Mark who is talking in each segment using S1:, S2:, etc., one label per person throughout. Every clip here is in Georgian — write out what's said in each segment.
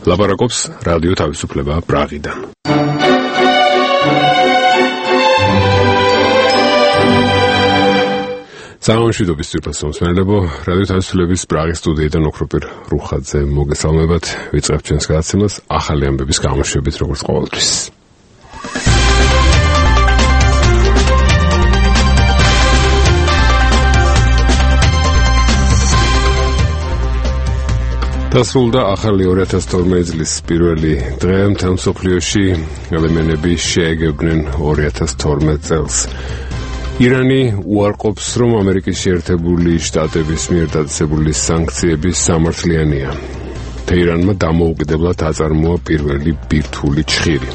S1: ლაპარაკობს რადიო თავისუფლება პრაღიდან. Სამშვიდობის ძვირფასო მსმენელებო, რადიო თავისუფლების პრაღის სტუდიიდან ოქროპირ რუხაძე მოგესალმებათ. ვიწყებთ ჩვენს გადაცემას ახალი ამბების გამოშვებით, როგორც ყოველთვის. დასრულდა ახალი 2012 წლის პირველი დღე მთელ მსოფლიოში. ადამიანები შეეგებნენ 2012 წელს. ირანი უარყოფს, რომ ამერიკის შეერთებული შტატების მიერ დაწესებული სანქციები სამართლიანია. თეირანმა დამოუკიდებლად აწარმოა პირველი ბირთვული ჩხირი.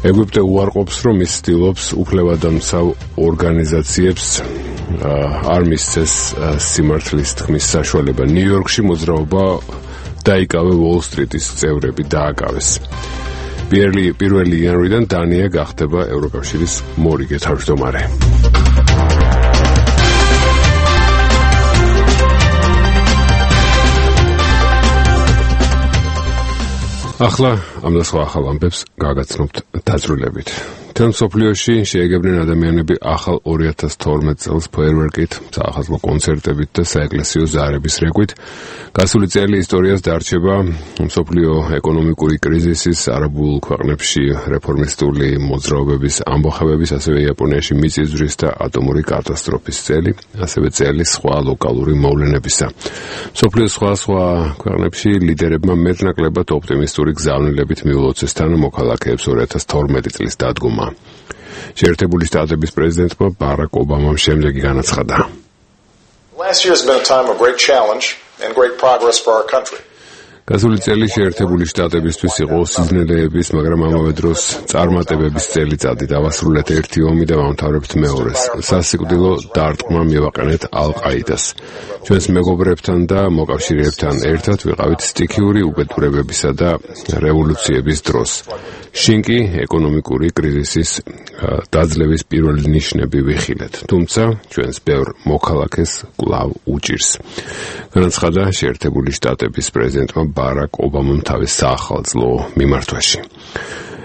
S1: ეგვიპტე უარყოფს, რომ ის ცდილობს უფლებადამცავ ორგანიზაციებს არ მისცეს სიმართლის თქმის საშუალება. ნიუ-იორკში მოძრაობა დაიკავე უოლ-სტრიტის წევრები დააკავეს. პირველი იანვრიდან დანია გახდება ევროკავშირის მორიგე თავმჯდომარე. ახლა ამ და სხვა ახალ ამბებს გაგაცნობთ დაწვრილებით. მთელ მსოფლიოში შეეგებნენ ადამიანები ახალ 2012 წელს ფეიერვერკით, საახალწლო კონცერტებით და საეკლესიო ზარების რეკვით. გასული წელი ისტორიას დარჩება მსოფლიო ეკონომიკური კრიზისის, არაბულ ქვეყნებში რეფორმისტული მოძრაობების ამბოხებების, ასევე იაპონიაში მიწისძვრის და ატომური კატასტროფის წელი, ასევე წელი სხვა ლოკალური მოვლენებისა. მსოფლიოს სხვა ქვეყნებში ლიდერებმა მეტნაკლებად ოპტიმისტური გზავნილებით მიულოცეს მოქალაქეებს 2012 წლის დადგომა. შეერთებული შტატების პრეზიდენტმა ბარაკ ობამამ შემდეგი განაცხადა.
S2: Last year has been a time of great challenge and great progress for our country.
S1: გასული წელი შეერთებული შტატებისთვის იყო სიზნელეების, მაგრამ ამავე დროს წარმატებების წელიწადი. დავასრულეთ ერთი ომი და ვამთავრებთ მეორეს. სასიკვდილო დარტყმა მივაყენეთ ალ-ყაიდას. ჩვენს მეგობრებთან და მოკავშირეებთან ერთად ვიყავით სტიქიური უბედურებებისა და რევოლუციების დროს. შინ კი ეკონომიკური კრიზისის დაძლევის პირველი ნიშნები ვიხილეთ. თუმცა ჩვენს ბევრ მოქალაქეს კვლავ უჭირს. განაცხადა შეერთებული შტატების პრეზიდენტმა ბარაკ ობამამ თავის საახალწლო მიმართვაში.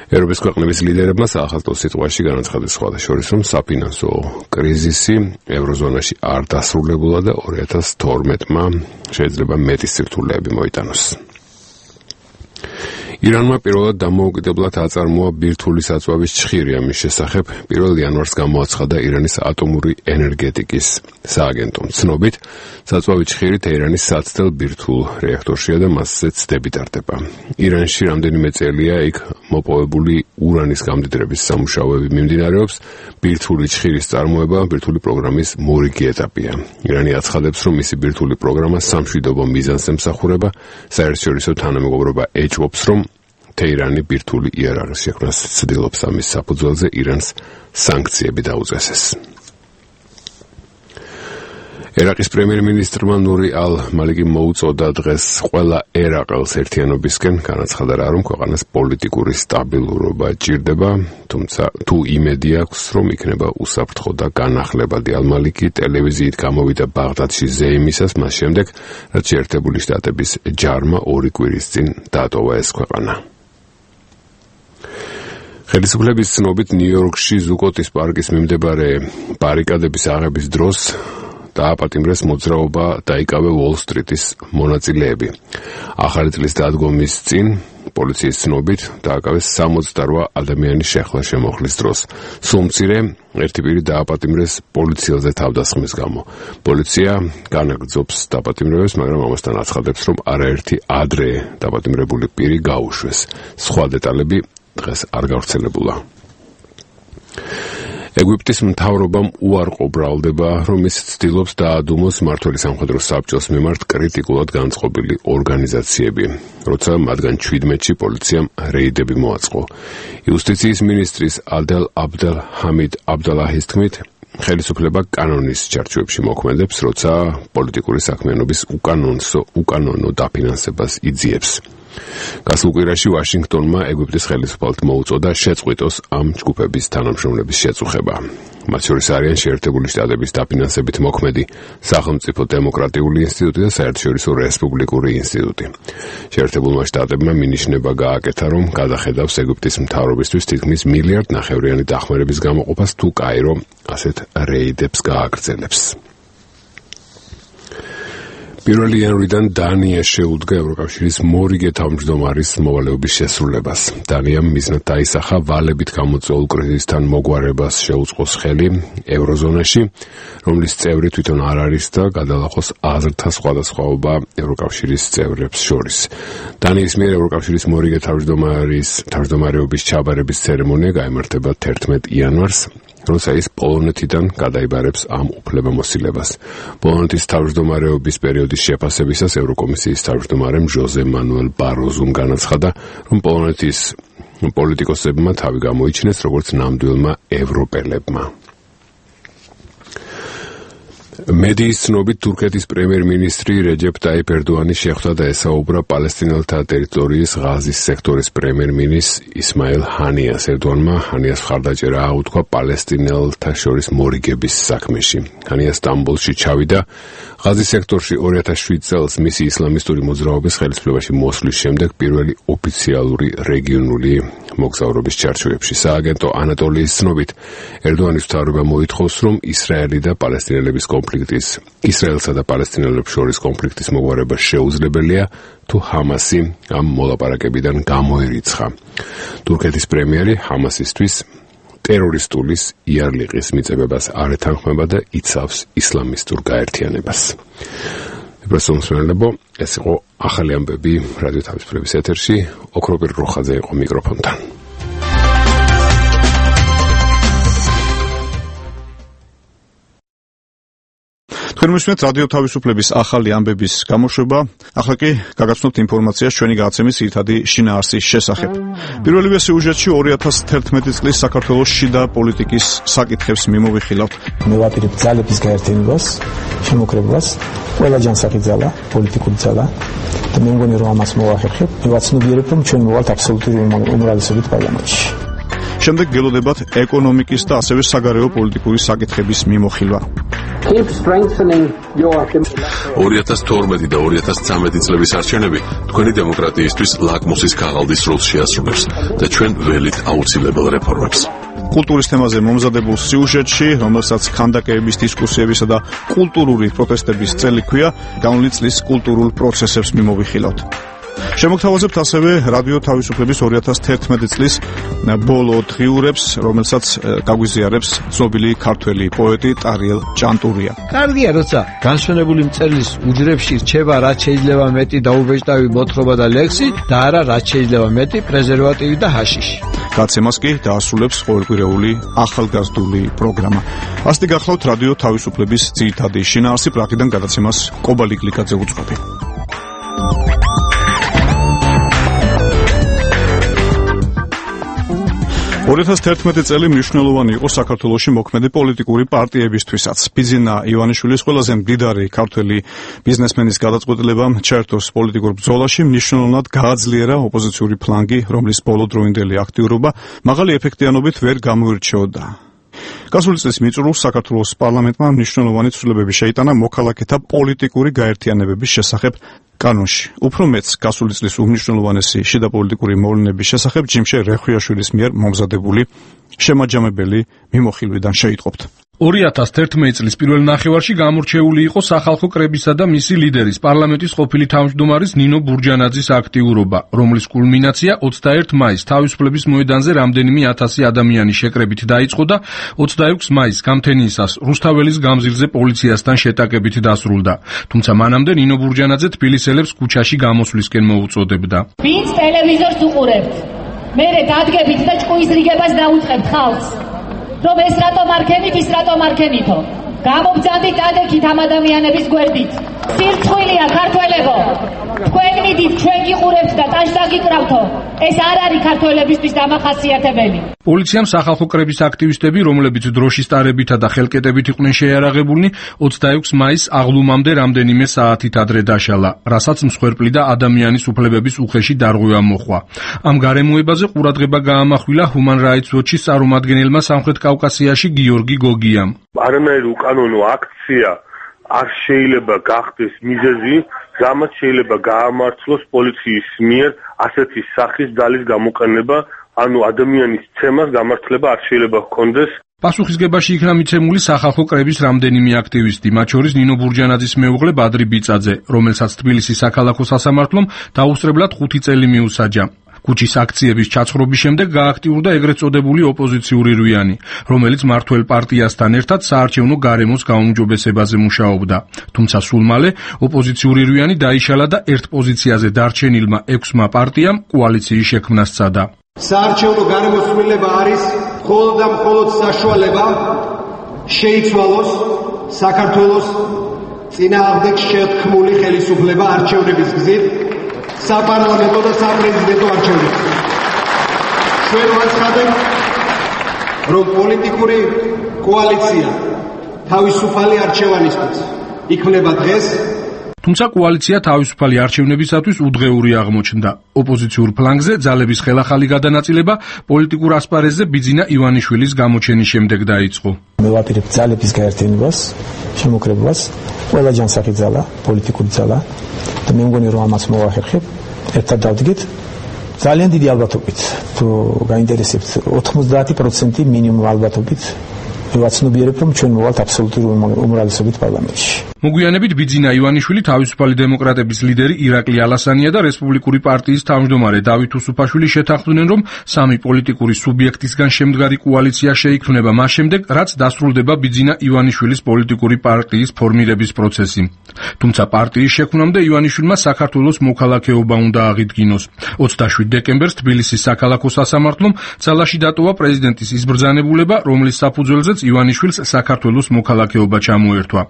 S1: ევროპის ქვეყნების ლიდერებმა საახალწლო სიტყვაში განაცხადეს სხვადასხვა, რომ საფინანსო კრიზისი ევროზონაში არ დასრულებულა და 2012-მა შეიძლება მეტი სირთულეები მოიტანოს. ირანმა პირველად დამოუკიდებლად აწარმოა ბირთვული საწვავის ჩხირი. ამის შესახებ 1 იანვარს გამოაცხადა ირანის ატომური ენერგეტიკის სააგენტომ. ცნობით, საწვავი ჩხირი თეირანის საცდელ ბირთვულ რეაქტორშია და მასზე ცდები ტარდება. ირანში რამდენიმე წელია იქ მოპოვებული ურანის გამდიდრების სამუშაოები მიმდინარეობს. ბირთვული ჩხირის წარმოება ბირთვული პროგრამის მორიგი ეტაპია. ირანი აცხადებს, რომ მისი ბირთვული პროგრამა სამშვიდობო მიზანს ემსახურება. საერთაშორისო თანამეგობრობა ეჭვობს, რომ თეირანი ბირთვული იარაღის შექმნას ცდილობს. ამის საფუძველზე ირანს სანქციები დაუწესეს. ერაყის პრემიერ-მინისტრმა ნური ალ-მალიკი მოუწოდა დღეს ყველა ერაყელს ერთიანობისკენ. განაცხადა, რომ ქვეყანას პოლიტიკური სტაბილურობა ჭირდება, თუმცა თუ იმედი აქვს, რომ იქნება უსაფრთხო და განახლებადი. ალ-მალიკი ტელევიზიით გამოვიდა ბაღდადში ზეიმისას, მას შემდეგ, რაც შეერთებული შტატების ჯარმა 2 კვირის წინ დატოვა ეს ქვეყანა. ხელისუფლების ცნობით ნიუ-იორკში ზუკოტის პარკის მიმდებარე ბარიკადების აღების დროს დააპატიმრეს მოძრაობა დაიკავე უოლ-სტრიტის მონაწილეები. ახალი წლის დადგომის წინ პოლიციის ცნობით დააკავეს 68 ადამიანის შეხლა-შემოხლის დროს. სულ მცირე ერთი პირი დააპატიმრეს პოლიციელზე თავდასხმის გამო. პოლიცია განაგრძობს დაპატიმრებას, მაგრამ ამასთან აცხადებს, რომ არაერთი ადრე დაპატიმრებული პირი გაუშვეს. სხვა დეტალები დღეს არ გავრცელებულა. ეგვიპტის მთავრობამ უარყო ბრალდება, რომ ის ცდილობს დაადუმოს მმართველი სამხედრო საბჭოს მიმართ კრიტიკულად განწყობილი ორგანიზაციები, როცა მათგან 17-ში პოლიციამ რეიდები მოაწყო. იუსტიციის მინისტრის ადელ აბდელ ჰამიდ აბდალაჰის თქმით, ხელისუფლება კანონის ჩარჩოებში მოქმედებს, როცა პოლიტიკური საქმიანობის უკანონო დაფინანსებას იძიებს. გასულ კვირაში ვაშინგტონმა ეგვიპტის ხელისუფალთ მოუწოდა შეწყვიტოს ამ ჯგუფების თანამშრომლების შეწუხება. მათ შორის არიან შეერთებული შტატების დაფინანსებით მოქმედი სახელმწიფო დემოკრატიული ინსტიტუტი და საერთაშორისო რესპუბლიკური ინსტიტუტი. შეერთებულმა შტატებმა მინიშნება გააკეთა, რომ გადახედავს ეგვიპტის მთავრობისთვის თითქმის $1.5 მილიარდიანი დახმარების გამოყოფას, თუ კაირო ასეთ რეიდებს გააგრძელებს. 1 იანვრიდან დანია შეუდგა ევროკავშირის მორიგე თავმჯდომარის მოვალეობის შესრულებას. დანიამ მიზნად დაისახა ვალებით გამოწვეულ კრიზისთან მოგვარებას შეუწყოს ხელი ევროზონაში, რომლის წევრი თვითონ არ არის და გადალახოს აზრთა სხვადასხვაობა ევროკავშირის წევრებს შორის. დანიის მიერ ევროკავშირის მორიგე თავმჯდომარეობის ჩაბარების ცერემონია გაიმართება 11 იანვარს, როცა ის პოლონეთიდან გადაიბარებს ამ უფლებამოსილებას. პოლონეთის თავმჯდომარეობის პერიოდის შეფასებისას ევროკომისიის თავმჯდომარემ ჟოზე მანუელ ბაროზუმ განაცხადა, რომ პოლონეთის პოლიტიკოსებმა თავი გამოიჩინეს როგორც ნამდვილმა ევროპელებმა. მედიის ცნობით თურქეთის პრემიერ-მინისტრი რეჯეპ ტაიპ ერდოანი შეხვდა და ესაუბრა პალესტინელთა ტერიტორიის ღაზის სექტორის პრემიერ-მინისტრ ისმაილ ჰანიას. ერდოანმა ჰანიას მხარდაჭერა აუთქვა პალესტინელთა შორის მორიგების საქმეში. ჰანია სტამბოლში ჩავიდა ღაზის სექტორში 2007 წელს მისი ისლამისტური მოძრაობის ხელისუფლებაში მოსვლის შემდეგ პირველი ოფიციალური რეგიონული მოგზაურობის ჩარჩოებში. სააგენტო ანატოლიის ცნობით ერდოანის მთავრობა მოითხოვს, რომ ისრაელსა და პალესტინელებს შორის კონფლიქტის მოგვარება შეუძლებელია, თუ ჰამასი ამ მოლაპარაკებიდან გამოერიცხა. თურქეთის პრემიერი ჰამასისთვის ტერორისტულის იარლიყის მიწებებას არ ეთანხმება და იცავს ისლამისტურ გაერთიანებას. ეს იყო ახალი ამბები რადიო თავისუფლების ეთერში. ოქროპირ როხაძე იყო მიკროფონთან.
S3: თქვენ მისმენთ რადიო თავისუფლების ახალი ამბების გამოშვება. ახლა კი გაგაცნობთ ინფორმაციას ჩვენი გადაცემის ძირითადი შინაარსის შესახებ. პირველივე სიუჟეტში 2011 წლის საქართველოს შიდა პოლიტიკის საკითხებს მიმოვიხილავთ.
S4: მე ვაპირებ ძალების გაერთიანებას, შემოკრებებას, ყველა ჯანსაღი ძალა, პოლიტიკური ძალა და მე მგონი რომ ამას მოვახერხებ. მე ვაცნობიერებ რომ ჩვენ მოვალთ აბსოლუტური უმრავლესობით პარლამენტში.
S3: შემდეგ გელოდებათ ეკონომიკის და ასევე საგარეო პოლიტიკური საკითხების მიმოხილვა.
S5: 2012 და 2013 წლების არჩევნები თქვენი დემოკრატიისთვის ლაკმუსის ქაღალდის როლს შეასრულებს და ჩვენ ველით აუცილებელ რეფორმებს.
S3: კულტურის თემაზე მომზადებულ სიუჟეტში, რომელსაც ქანდაკების დისკუსიებისა და კულტურული პროტესტების წელი ჰქვია, განვლილი წლის კულტურულ პროცესებს მიმოვიხილავთ. შემოგთავაზებთ ასევე რადიო თავისუფლების 2011 წლის ბოლო დღიურებს, რომელსაც გაგვიზიარებს ცნობილი ქართველი პოეტი ტარიელ ჭანტურია.
S6: კარგია, როცა განსვენებული მწერლის უჯრებში რჩება რაც შეიძლება მეტი დაუბეჭდავი მოთხრობა და ლექსი და არა რაც შეიძლება მეტი პრეზერვატივი და ჰაშიში.
S3: გაცემას კი დაასრულებს ყოველკვირეული ახალგაზრდული პროგრამა. ასეთი გახლავთ რადიო თავისუფლების ძირითადი შინაარსი, პრაღიდან გადაცემას კობალი გლიკაძე უწყობი. 2011 წელი მნიშვნელოვანი იყო საქართველოში მოქმედი პოლიტიკური პარტიებისთვისაც. ბიძინა ივანიშვილის ყველაზე მდიდარი ქართველი ბიზნესმენის გადაწყვეტილებამ ჩაერთოს პოლიტიკურ ბრძოლაში, მნიშვნელოვნად გააძლიერა ოპოზიციური ფლანგი, რომლის ბოლოდროინდელი აქტიურობა მაღალი ეფექტიანობით ვერ გამოირჩეოდა. გასული წლის მიწურულს საქართველოს პარლამენტმა მნიშვნელოვანი ცვლილებები შეიტანა მოქალაქეთა პოლიტიკური გაერთიანებების შესახებ კანონში. უფრო მეც გასული წლის უმნიშვნელოვანესი შიდა პოლიტიკური მოვლენების შესახებ ჯიმშე რეხვიაშვილის მიერ მომზადებული შემაჯამებელი მიმოხილვიდან შეიტყობთ.
S7: 2011 წლის პირველ ნახევარში გამორჩეული იყო სახალხო კრებისა და მისი ლიდერის, პარლამენტის ყოფილი თავმჯდომარის ნინო ბურჯანაძის აქტიურობა, რომლის კულმინაცია 21 მაისს თავისუფლების მოედანზე რამდენიმე ათასი ადამიანის შეკრებით დაიწყო და 26 მაისს გამთენიისას რუსთაველის გამზირზე პოლიციასთან შეტაკებით დასრულდა. თუმცა მანამდე ნინო ბურჯანაძე თბილისელებს ქუჩაში გამოსვლისკენ მოუწოდებდა.
S8: ვინც ტელევიზორს უყურებთ, მერე დადგებით და ჭკუისრიგებას დაუწყებთ ხალხს. რომ ეს რატომ არ ქენით, ის რატომ არ ქენითო. გამობძანდით ადექით ამ ადამიანების გვერდით. სირცხვილია ქართველებო, თქვენ მიდით, ჩვენ გიყურებთ და ტაშ დაგიკრავთო. ეს არ არის ქართველებისთვის დამახასიათებელი.
S7: პოლიციამ სახალხო კრების აქტივისტები, რომლებიც დროშის ტარებითა და ხელკეტებით იყვნენ შეიარაღებულნი, 26 მაისს აღლუმამდე რამდენიმე საათით ადრე დაშალა, რასაც მსხვერპლი და ადამიანის უფლებების უხეში დარღვევა მოჰყვა. ამ გარემოებაზე ყურადღება გაამახვილა Human Rights Watch-ის წარმომადგენელმა სამხრეთ კავკასიაში გიორგი გოგიამ.
S9: არანაირი უკანონო აქცია არ შეიძლება გახდეს მიზეზი, რამაც შეიძლება გაამართლოს პოლიციის მიერ ასეთი სახის ძალის გამოყენება, ანუ ადამიანის ცემას გამართლება არ შეიძლება ჰქონდეს.
S7: პასუხისგებაში იქნა მიცემული სახალხო კრების რამდენიმე აქტივისტი, მათ შორის ნინო ბურჯანაძის მეუღლე ბადრი ბიწაძე, რომელსაც თბილისის საქალაქო სასამართლომ დაუსწრებლად 5 წელი მიუსაჯა. კუჩის აქციების ჩაცხრობის შემდეგ გააქტიურდა ეგრეთ წოდებული ოპოზიციური რვიანი, რომელიც მართველ პარტიასთან ერთად საარჩევნო გარემოს გაუმჯობესებაზე მუშაობდა. თუმცა სულ მალე ოპოზიციური რვიანი დაიშალა და ერთ პოზიციაზე დარჩენილმა 6 პარტიამ კოალიციის შექმნა სცადა.
S10: საარჩევნო გარემოცვლილება არის მხოლოდ და მხოლოდ საშუალება შეიცვალოს საქართველოს წინააღმდეგ შეთქმული ხელისუფლება არჩევნების გზით, საპარლამენტო და საპრეზიდენტო არჩევნებს. ჩვენ ვაცხადებთ, რომ პოლიტიკური კოალიცია თავისუფალი არჩევანისთვის იქმნება დღეს.
S7: თუმცა კოალიცია თავისუფალი არჩევნებისათვის უდღეური აღმოჩნდა. ოპოზიციურ ფლანგზე ძალების ხელახალი გადანაწილება პოლიტიკურ ასპარეზზე ბიძინა ივანიშვილის გამოჩენის შემდეგ დაიწყო.
S4: მე ვაპირებ ძალების გაერთიანებას, შემოკრებებას, ყველა ჯანსაღი ძალა, პოლიტიკური ძალა და მე მგონი რომ ამას მოვახერხებ, ერთად დავდგეთ ძალიან დიდი ალბათობით, თუ გაინტერესებთ 90% მინიმუმ ალბათობით ვაცნობიერებ, რომ ჩვენ მოვალთ აბსოლუტური უმრავლესობით პარლამენტში.
S7: მოგვიანებით ბიძინა ივანიშვილი, თავისუფალი დემოკრატების ლიდერი ირაკლი ალასანია და რესპუბლიკური პარტიის თავმჯდომარე დავით უსუფაშვილი შეთანხმდნენ, რომ სამი პოლიტიკური სუბიექტისგან შემდგარი კოალიცია შეიქმნება მას შემდეგ, რაც დასრულდება ბიძინა ივანიშვილის პოლიტიკური პარტიის ფორმირების პროცესი. თუმცა პარტიის შექმნამდე ივანიშვილმა საქართველოს მოქალაქეობა უნდა აღიდგინოს. 27 დეკემბერს თბილისის საქალაქო სასამართლომ ძალაში დატოვა პრეზიდენტის იზბრძანებულება, რომლის საფუძველზეც ივანიშვილს საქართველოს მოქალაქეობა ჩამოერთვა.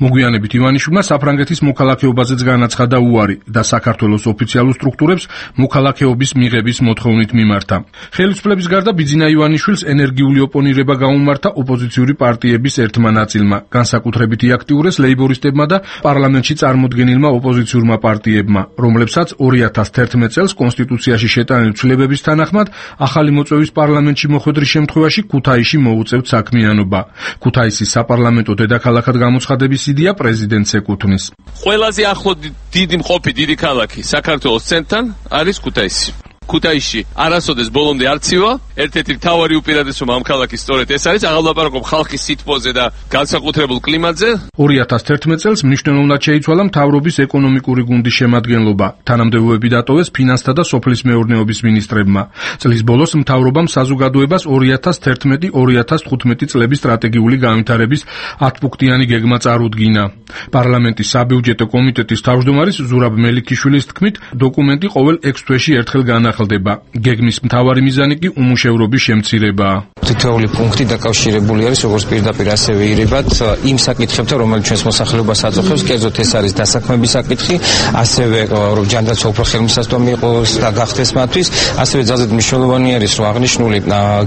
S7: მოგვიანებით ივანიშვილმა საფრანგეთის მოქალაქეობაზეც განაცხადა უარი და საქართველოს ოფიციალურ სტრუქტურებს მოქალაქეობის მიღების მოთხოვნით მიმართა. ხელისუფლების გარდა ბიძინა ივანიშვილს ენერგიული ოპონირება გაუმართა ოპოზიციური პარტიების ერთმა ნაწილმა, განსაკუთრებით იაქტიურეს ლეიბორისტებმა და პარლამენტში წარმოდგენილმა ოპოზიციურმა პარტიებმა, რომლებსაც 2011 წელს კონსტიტუციაში შეტანილი ცვლილებების თანახმად ახალი მოწვევის პარლამენტში მოხვედრის შემთხვევაში ქუთაისში მოუწევთ საქმიანობა. ქუთაისის საპარლამენტო დედაქალაქად გამოცხადების იდეა პრეზიდენტს ეკუთვნის.
S11: ყველაზე ახლო დიდი მყოფი დიდი ქალაქი საქართველოს ცენტრთან არის ქუთაისი. ქუთაისში არასოდეს ბოლომდე არ ცივა, ერთ-ერთი მთავარი უპირატესობა ამ ქალაქის სწორედ ეს არის, აღალაპარაკობ ხალხის სითბოზე და განსაკუთრებულ კლიმატზე.
S7: 2011 წელს მნიშვნელოვნად შეიცვალა მთავრობის ეკონომიკური გუნდის შემადგენლობა. თანამდებობები დატოვეს ფინანსთა და სოფლის მეურნეობის მინისტრებმა. წლის ბოლოს მთავრობამ საზოგადოებას 2011-2015 წლების სტრატეგიული განვითარების 10 პუნქტიანი გეგმა წარუდგინა. პარლამენტის საბიუჯეტო კომიტეტის თავმჯდომარის ზურაბ მელიქიშვილის თქმით, დოკუმენტი ყოველ 6 თვეში ერთხელ განახილება. გეგმის მთავარი მიზანი კი უმუშევრობის შემცირებაა.
S12: თითოეული პუნქტი დაკავშირებული არის როგორც პირდაპირ ასევე ირებად იმ საკითხებთან, რომელიც ჩვენს მოსახლეობას აწუხებს, კერძოდ ეს არის დასაქმების საკითხი, ასევე რომ ჯანდაცვა უფრო ხელმისაწვდომი იყოს და გახდეს მათთვის, ასევე ძალზედ მნიშვნელოვანი არის, რომ აღნიშნული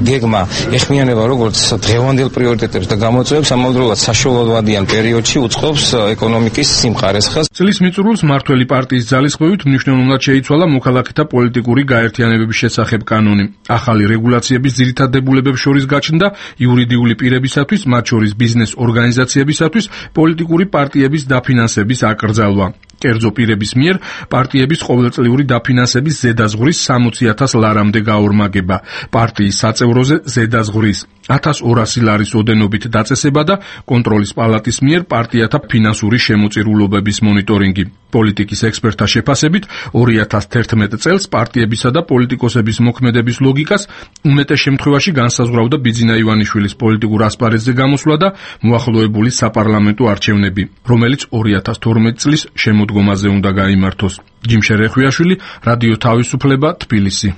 S12: გეგმა ეხმიანება როგორც დღევანდელ პრიორიტეტებს და გამოწვევებს, ამავდროულად საშუალოვადიან პერიოდში უწყობს ეკონომიკის სიმყარეს ხაზს.
S7: წლის მიწურულს მართველი პარტიის ძალისხმევით მნიშვნელოვნად შეიცვალა მოქალაქეთა პოლიტიკური გაერთიანებების შესახებ კანონი. ახალი რეგულაციების ძირითად დებულებებს შორის გაჩნდა იურიდიული პირებისათვის, მათ შორის ბიზნეს ორგანიზაციებისათვის პოლიტიკური პარტიების დაფინანსების აკრძალვა. კერძო პირების მიერ პარტიების ყოველწლიური დაფინანსების ზედაზღვრის 60,000 ლარამდე გაორმაგება, პარტიის საწევროზე ზედაზღვრის 1200 ლარის ოდენობით დაწესება და კონტროლის პალატის მიერ პარტიათა ფინანსური შემოწირულობების მონიტორინგი. პოლიტიკის ექსპერტთა შეფასებით 2011 წელს პარტიებისა და პოლიტიკოსების მოქმედების ლოგიკას უმეტეს შემთხვევაში განსაზღვრავდა ბიძინა ივანიშვილის პოლიტიკურ ასპარეზზე გამოსვლა და მოახლოებული საპარლამენტო არჩევნები, რომელიც 2012 წლის შემოდგომაზე უნდა გაიმართოს. ჯიმშე რეხვიაშვილი, რადიო თავისუფლება, თბილისი.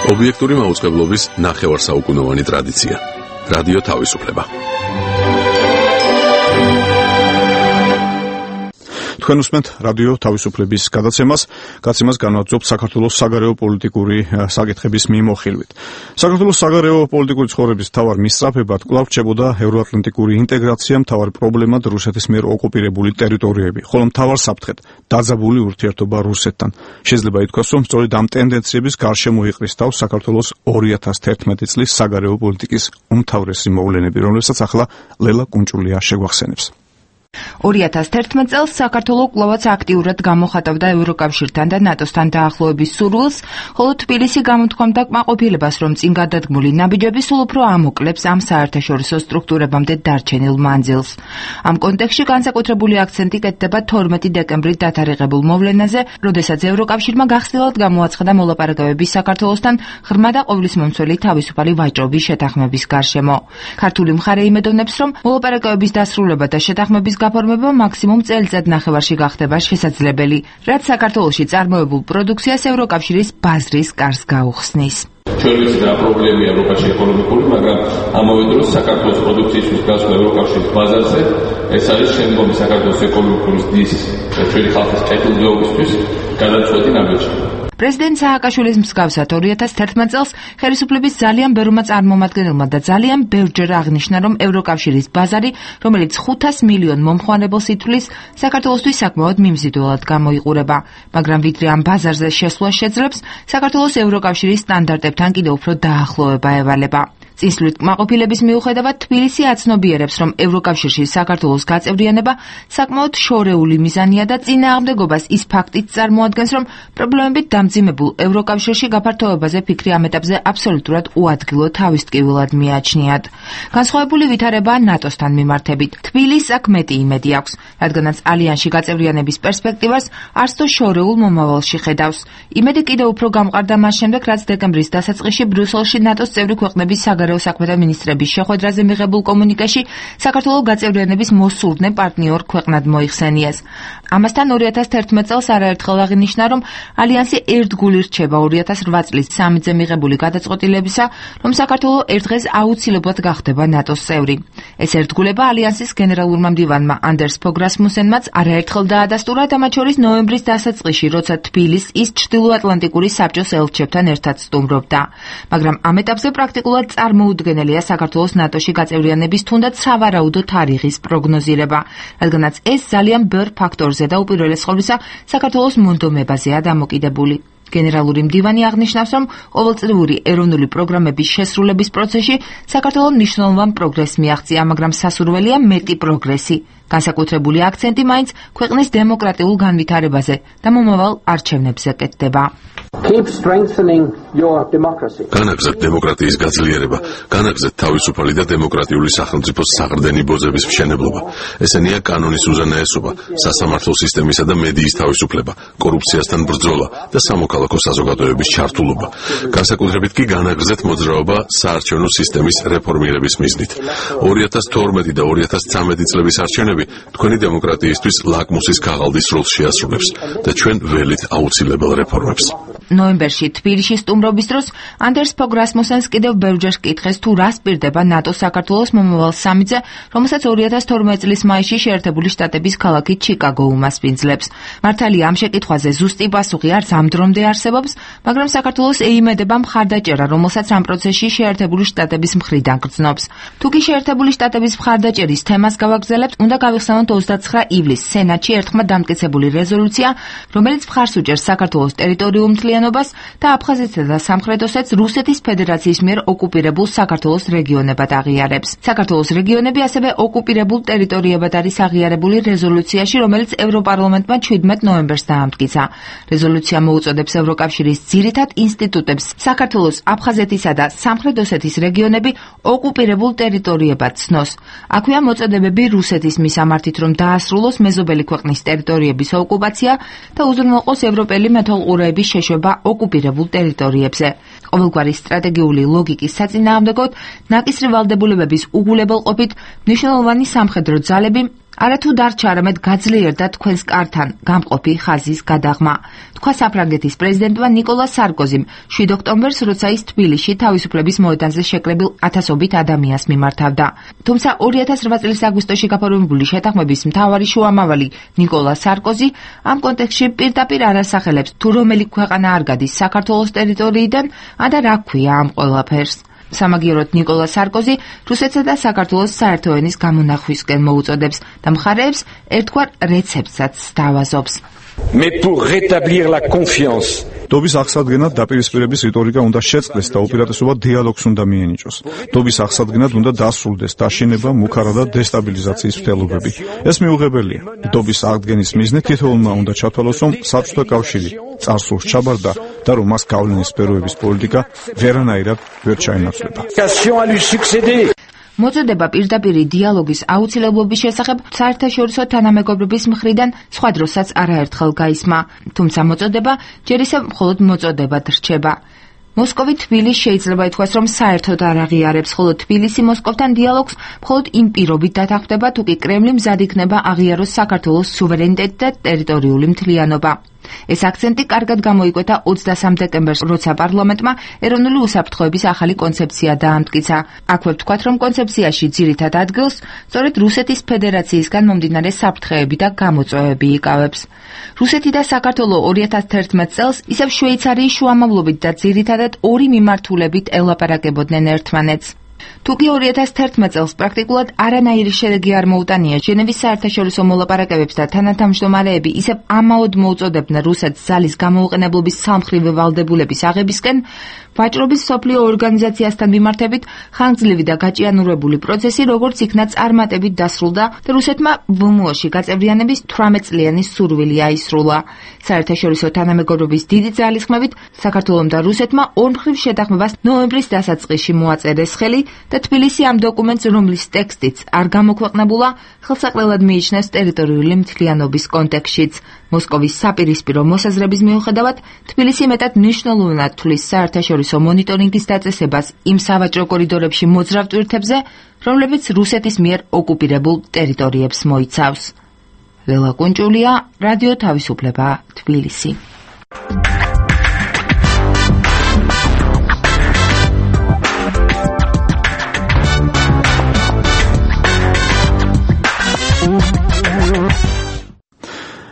S5: ობიექტური მაუწყებლობის ნახევარსაუკუნოვანი ტრადიცია. რადიო თავისუფლება.
S3: თქვენ უსმენთ რადიო თავისუფლების გადაცემას განვაძლობთ საქართველოს საგარეო პოლიტიკური საკითხების მიმოხილვით. საქართველოს საგარეო პოლიტიკური ცხოვრების მთავარ მისწრაფებად კვლავ რჩებოდა ევროატლანტიკური ინტეგრაცია, მთავარი პრობლემად რუსეთის მიერ ოკუპირებული ტერიტორიები, ხოლო მთავარ საფრთხედ დაძაბული ურთიერთობა რუსეთთან. შეიძლება ითქვას, რომ სწორედ ამ ტენდენციების გარშემო იყრის თავს საქართველოს 2011 წლის საგარეო პოლიტიკის უმთავრესი მოვლენები, რომლებსაც ახლა ლელა კუნჭულია შეგვახსენებს.
S13: 2011 წელს საქართველო კვლავაც აქტიურად გამოხატავდა ევროკავშირთან და ნატოსთან დაახლოების სურვილს, ხოლო თბილისი გამოთქვამდა კმაყოფილებას, რომ წინ გადადგმული ნაბიჯები სულ უფრო ამოკლებს ამ საერთაშორისო სტრუქტურებამდე დარჩენილ მანძილს. ამ კონტექსტში განსაკუთრებული აქცენტი კეთდება 12 დეკემბრის დათარიღებულ მოვლენაზე, როდესაც ევროკავშირმა გახსნილად გამოაცხადა მოლაპარაკებები საქართველოსთან ღრმა და ყოვლისმომცველი თავისუფალი ვაჭრობის შეთანხმების გარშემო. ქართული მხარე იმედოვნებს, რომ მოლაპარაკებების დასრულება და შეთანხმების გაფორმება მაქსიმუმ წელიწადნახევარში გახდება შესაძლებელი, რაც საქართველოში წარმოებულ პროდუქციას ევროკავშირის ბაზრის კარს გაუხსნის.
S11: ჩვენ ვიცით რა პრობლემია ევროპაში ეკონომიკური, მაგრამ ამავე დროს საქართველოს პროდუქციისთვის გასვლა ევროკავშირის ბაზარზე ეს არის შემდგომი საქართველოს ეკონომიკის დის ჩვენი ხალხის კეთილდღეობისთვის გადაწყვეტი ნაბიჯი.
S13: პრეზიდენტ სააკაშვილის მსგავსად 2011 წელს ხელისუფლების ძალიან ბევრმა წარმომადგენელმა და ძალიან ბევრჯერ აღნიშნა, რომ ევროკავშირის ბაზარი, რომელიც 500 მილიონ მომხმარებელს ითვლის, საქართველოსთვის საკმაოდ მიმზიდველად გამოიყურება. მაგრამ ვიდრე ამ ბაზარზე შესვლა შეძლებს, საქართველოს ევროკავშირის სტანდარტებთან კიდევ უფრო დაახლოვება ევალება. წინსვლით კმაყოფილების მიუხედავად თბილისი აცნობიერებს, რომ ევროკავშირში საქართველოს გაწევრიანება საკმაოდ შორეული მიზანია და წინააღმდეგობას ის ფაქტით წარმოადგენს, რომ პრობლემებით დამძიმებულ ევროკავშირში გაფართოებაზე ფიქრი ამ ეტაპზე აბსოლუტურად უადგილო თავისტკივილად მიაჩნიათ. განსხვავებული ვითარებაა ნატოსთან მიმართებით. თბილისს აქ მეტი იმედი აქვს, რადგანაც ალიანსში გაწევრიანების პერსპექტივას არც თუ შორეულ მომავალში ხედავს. იმედი კიდევ უფრო გამყარდა მას შემდეგ, რაც დეკემბრის დასაწყისში ბრიუსელში ნატოს წევრი ქვეყნების საგარეო საქმეთა მინისტრების შეხვედრაზე მიღებულ კომუნიკეში საქართველოს გაწევრიანების მოსურნე პარტნიორ ქვეყნად მოიხსენიეს. ამასთან 2011 წელს არაერთხელ აღინიშნა, რომ ალიანსი ერთგული რჩება 2008 წლის სამიტზე მიღებული გადაწყვეტილებისა, რომ საქართველოს ერთ დღეს აუცილებლად გახდება ნატოს წევრი. ეს ერთგულება ალიანსის გენერალურმა მდივანმა ანდერს ფოგ რასმუსენმაც არაერთხელ დაადასტურა და მათ შორის ნოემბრის დასაწყისში, როცა თბილისს ის ჩრდილოატლანტიკური საბჭოს ელჩებთან ერთად სტუმრობდა. მაგრამ ამ ეტაპზე პრაქტიკულად წარმოუდგენელია საქართველოს ნატოში გაწევრიანების თუნდაც სავარაუდო თარიღის პროგნოზირება, რადგანაც ეს ძალიან ბევრ ფაქტორზე და უპირველეს ყოვლისა საქართველოს მონდომებაზეა დამოკიდებული. გენერალური მდივანი აღნიშნავს, რომ ყოველწლიური ეროვნული პროგრამების შესრულების პროცესში საქართველოს მნიშვნელოვან პროგრესს მიაღწია, მაგრამ სასურველია მეტი პროგრესი. განსაკუთრებული აქცენტი მაინც ქვეყნის დემოკრატიულ განვითარებაზე და მომავალ არჩევნებზე კეთდება.
S5: განაგზეთ დემოკრატიის გაძლიერება, განაგზეთ თავისუფალი და დემოკრატიული სახელმწიფოს საყრდენი ბოზების მშენებლობა. ესენია კანონის უზენაესობა, სასამართლო სისტემისა და მედიის თავისუფლება, კორუფციასთან ბრძოლა და სამოქალაქო საზოგადოების ჩართულობა. განსაკუთრებით კი განაგზეთ მოძრაობა საარჩევნო სისტემის რეფორმირების მიზნით. 2012 და 2013 წლების არჩევნები თქვენი დემოკრატიისთვის ლაკმუსის ქაღალდის როლს შეასრულებს და ჩვენ ველით აუცილებელ რეფორმებს.
S13: ნოემბერში თბილისში სტუმრობის დროს ანდერს ფოგ რასმუსენს კიდევ ბევრჯერ კითხეს, თუ რას პირდება ნატოს საქართველოს მომავალ სამიტზე, რომელსაც 2012 წლის მაისში შეერთებული შტატების ქალაქი ჩიკაგო უმასპინძლებს. მართალია ამ შეკითხვაზე ზუსტი პასუხი არც ამ დრომდე არსებობს, მაგრამ საქართველოს ეიმედება მხარდაჭერა, რომელსაც ამ პროცესში შეერთებული შტატების მხრიდან გრძნობს. თუკი შეერთებული შტატების მხარდაჭერის თემას გავაგრძელებთ, უნდა გავიხსენოთ 29 ივლისს სენატში ერთხმად დამტკიცებული რეზოლუცია, რომელიც მხარს უჭერს საქართველოს ტერიტორიულ მთლიანობას და აფხაზეთსა და სამხრეთ ოსეთს რუსეთის ფედერაციის მიერ ოკუპირებულ საქართველოს რეგიონებად აღიარებს. საქართველოს რეგიონები ასევე ოკუპირებულ ტერიტორიებად არის აღიარებული რეზოლუციაში, რომელიც ევროპარლამენტმა 17 ნოემბერს დაამტკიცა. რეზოლუცია მოუწოდებს ევროკავშირის ძირითად ინსტიტუტებს საქართველოს, აფხაზეთისა და სამხრეთ ოსეთის რეგიონები ოკუპირებულ ტერიტორიებად ცნოს. აქვეა მოწოდებები რუსეთის მისამართით, რომ დაასრულოს მეზობელი ქვეყნის ტერიტორიების ოკუპაცია და უზრუნველყოს ევროპელი მეთვალყურეების შეშვება ოკუპირებულ ტერიტორიებზე. ყოველგვარი სტრატეგიული ლოგიკის საწინააღმდეგოდ ნაკისრი ვალდებულებების უგულებელყოფით მნიშვნელოვანი სამხედრო ძალები არათუ დარჩა არამედ გაძლიერდა თქვენს კართან გამყოფი ხაზის გადაღმა. თქვა საფრანგეთის პრეზიდენტმა ნიკოლა სარკოზიმ 7 ოქტომბერს, როცა ის თბილისში თავისუფლების მოედანზე შეკრებილ ათასობით ადამიანს მიმართავდა. თუმცა 2008 წლის აგვისტოში გაფორმებული შეთანხმების მთავარი შუამავალი ნიკოლა სარკოზი ამ კონტექსტში პირდაპირ არ ასახელებს თუ რომელი ქვეყანა არ გადის საქართველოს ტერიტორიიდან და რა ქვია ამ ყველაფერს. სამაგიეროდ ნიკოლა სარკოზი რუსეთსა და საქართველოს საერთო ენის გამონახვისკენ მოუწოდებს და მხარეებს ერთგვარ რეცეპტსაც სთავაზობს.
S14: Mais pour rétablir la confiance.
S3: დობის აღსადგენად დაპირისპირების რიტორიკა უნდა შეწყდეს და უპირატესობა დიალოგს უნდა მიენიჭოს. დობის აღსადგენად უნდა დასრულდეს დაშინება, მუქარა და დესტაბილიზაციის მცდელობები. ეს მიუღებელია. დობის აღდგენის მიზნით თითოეულმა უნდა ჩათვალოს, რომ საბჭოთა კავშირი წარსულს ჩაბარდა და რომ მას გავლენის სფეროების პოლიტიკა ვერანაირად ვერ ჩაენაცვლება.
S13: მოწოდება პირდაპირი დიალოგის აუცილებლობის შესახებ საერთაშორისო თანამეგობრობის მხრიდან სხვა დროსაც არაერთხელ გაისმა, თუმცა მოწოდება ჯერ ისევ მხოლოდ მოწოდებად რჩება. მოსკოვი თბილისს შეიძლება ითქვას, რომ საერთოდ არ აღიარებს, ხოლო თბილისი მოსკოვთან დიალოგს მხოლოდ იმ პირობით დათანხმდება, თუ კი კრემლი მზად იქნება აღიაროს საქართველოს სუვერენიტეტი და ტერიტორიული მთლიანობა. ეს აქცენტი კარგად გამოიკვეთა 23 დეკემბერს, როცა პარლამენტმა ეროვნული უსაფრთხოების ახალი კონცეფცია დაამტკიცა. აქვე ვთქვათ, რომ კონცეფციაში ძირითად ადგილს სწორედ რუსეთის ფედერაციისგან მომდინარე საფრთხეები და გამოწვევები იკავებს. რუსეთი და საქართველო 2011 წელს ისევ შვეიცარიის შუამავლობით და ძირითადად ორი მიმართულებით ელაპარაკებოდნენ ერთმანეთს. თუკი 2011 წელს პრაქტიკულად არანაირი შედეგი არ მოუტანია ჟენევის საერთაშორისო მოლაპარაკებებს და თანათავმჯდომარეები ისევ ამაოდ მოუწოდებდნენ რუსეთს ძალის გამოუყენებლობის სამხრივი ვალდებულების აღებისკენ, ვაჭრობის მსოფლიო ორგანიზაციასთან მიმართებით ხანგრძლივი და გაჭიანურებული პროცესი როგორც იქნა წარმატებით დასრულდა და რუსეთმა ვმო-ში გაწევრიანების 18 წლიანი სურვილი აისრულა. საერთაშორისო თანამეგობრობის დიდი ძალისხმევით საქართველომ და რუსეთმა ორმხრივ შეთანხმებას ნოემბრის დასაწყისში მოაწერეს ხელი და თბილისი ამ დოკუმენტს, რომლის ტექსტიც არ გამოქვეყნებულა, ხელსაყრელად მიიჩნევს ტერიტორიული მთლიანობის კონტექსტშიც. მოსკოვის საპირისპირო მოსაზრების მიუხედავად, თბილისი მეტად მნიშვნელოვნად თვლის საერთაშორისო მონიტორინგის დაწესებას იმ სავაჭრო კორიდორებში მოძრავ ტვირთებზე, რომლებიც რუსეთის მიერ ოკუპირებულ ტერიტორიებს მოიცავს. ლელა კუნჭულია, რადიო თავისუფლება, თბილისი.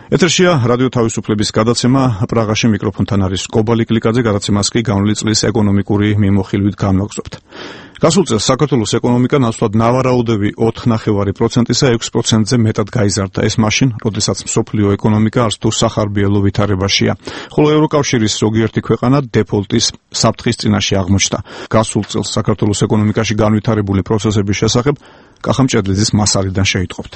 S3: ეთერშია რადიო თავისუფლების გადაცემა. პრაღაში მიკროფონთან არის კობალი კლიკაძე, გადაცემას კი განვლილი წლის ეკონომიკური მიმოხილვით განვაგრძობთ. გასულ წელს საქართველოს ეკონომიკა ნაცვლად ნავარაუდები 4.5%-ისა 6%-ზე მეტად გაიზარდა. ეს მაშინ, როდესაც მსოფლიო ეკონომიკა არც თუ სახარბიელო ვითარებაშია. ხოლო ევროკავშირის ზოგიერთი ქვეყანა დეფოლტის საფრთხის წინაშე აღმოჩნდა. გასულ წელს საქართველოს ეკონომიკაში განვითარებული პროცესების შესახებ კახა მჭედლიძის მასალიდან შეიტყობთ.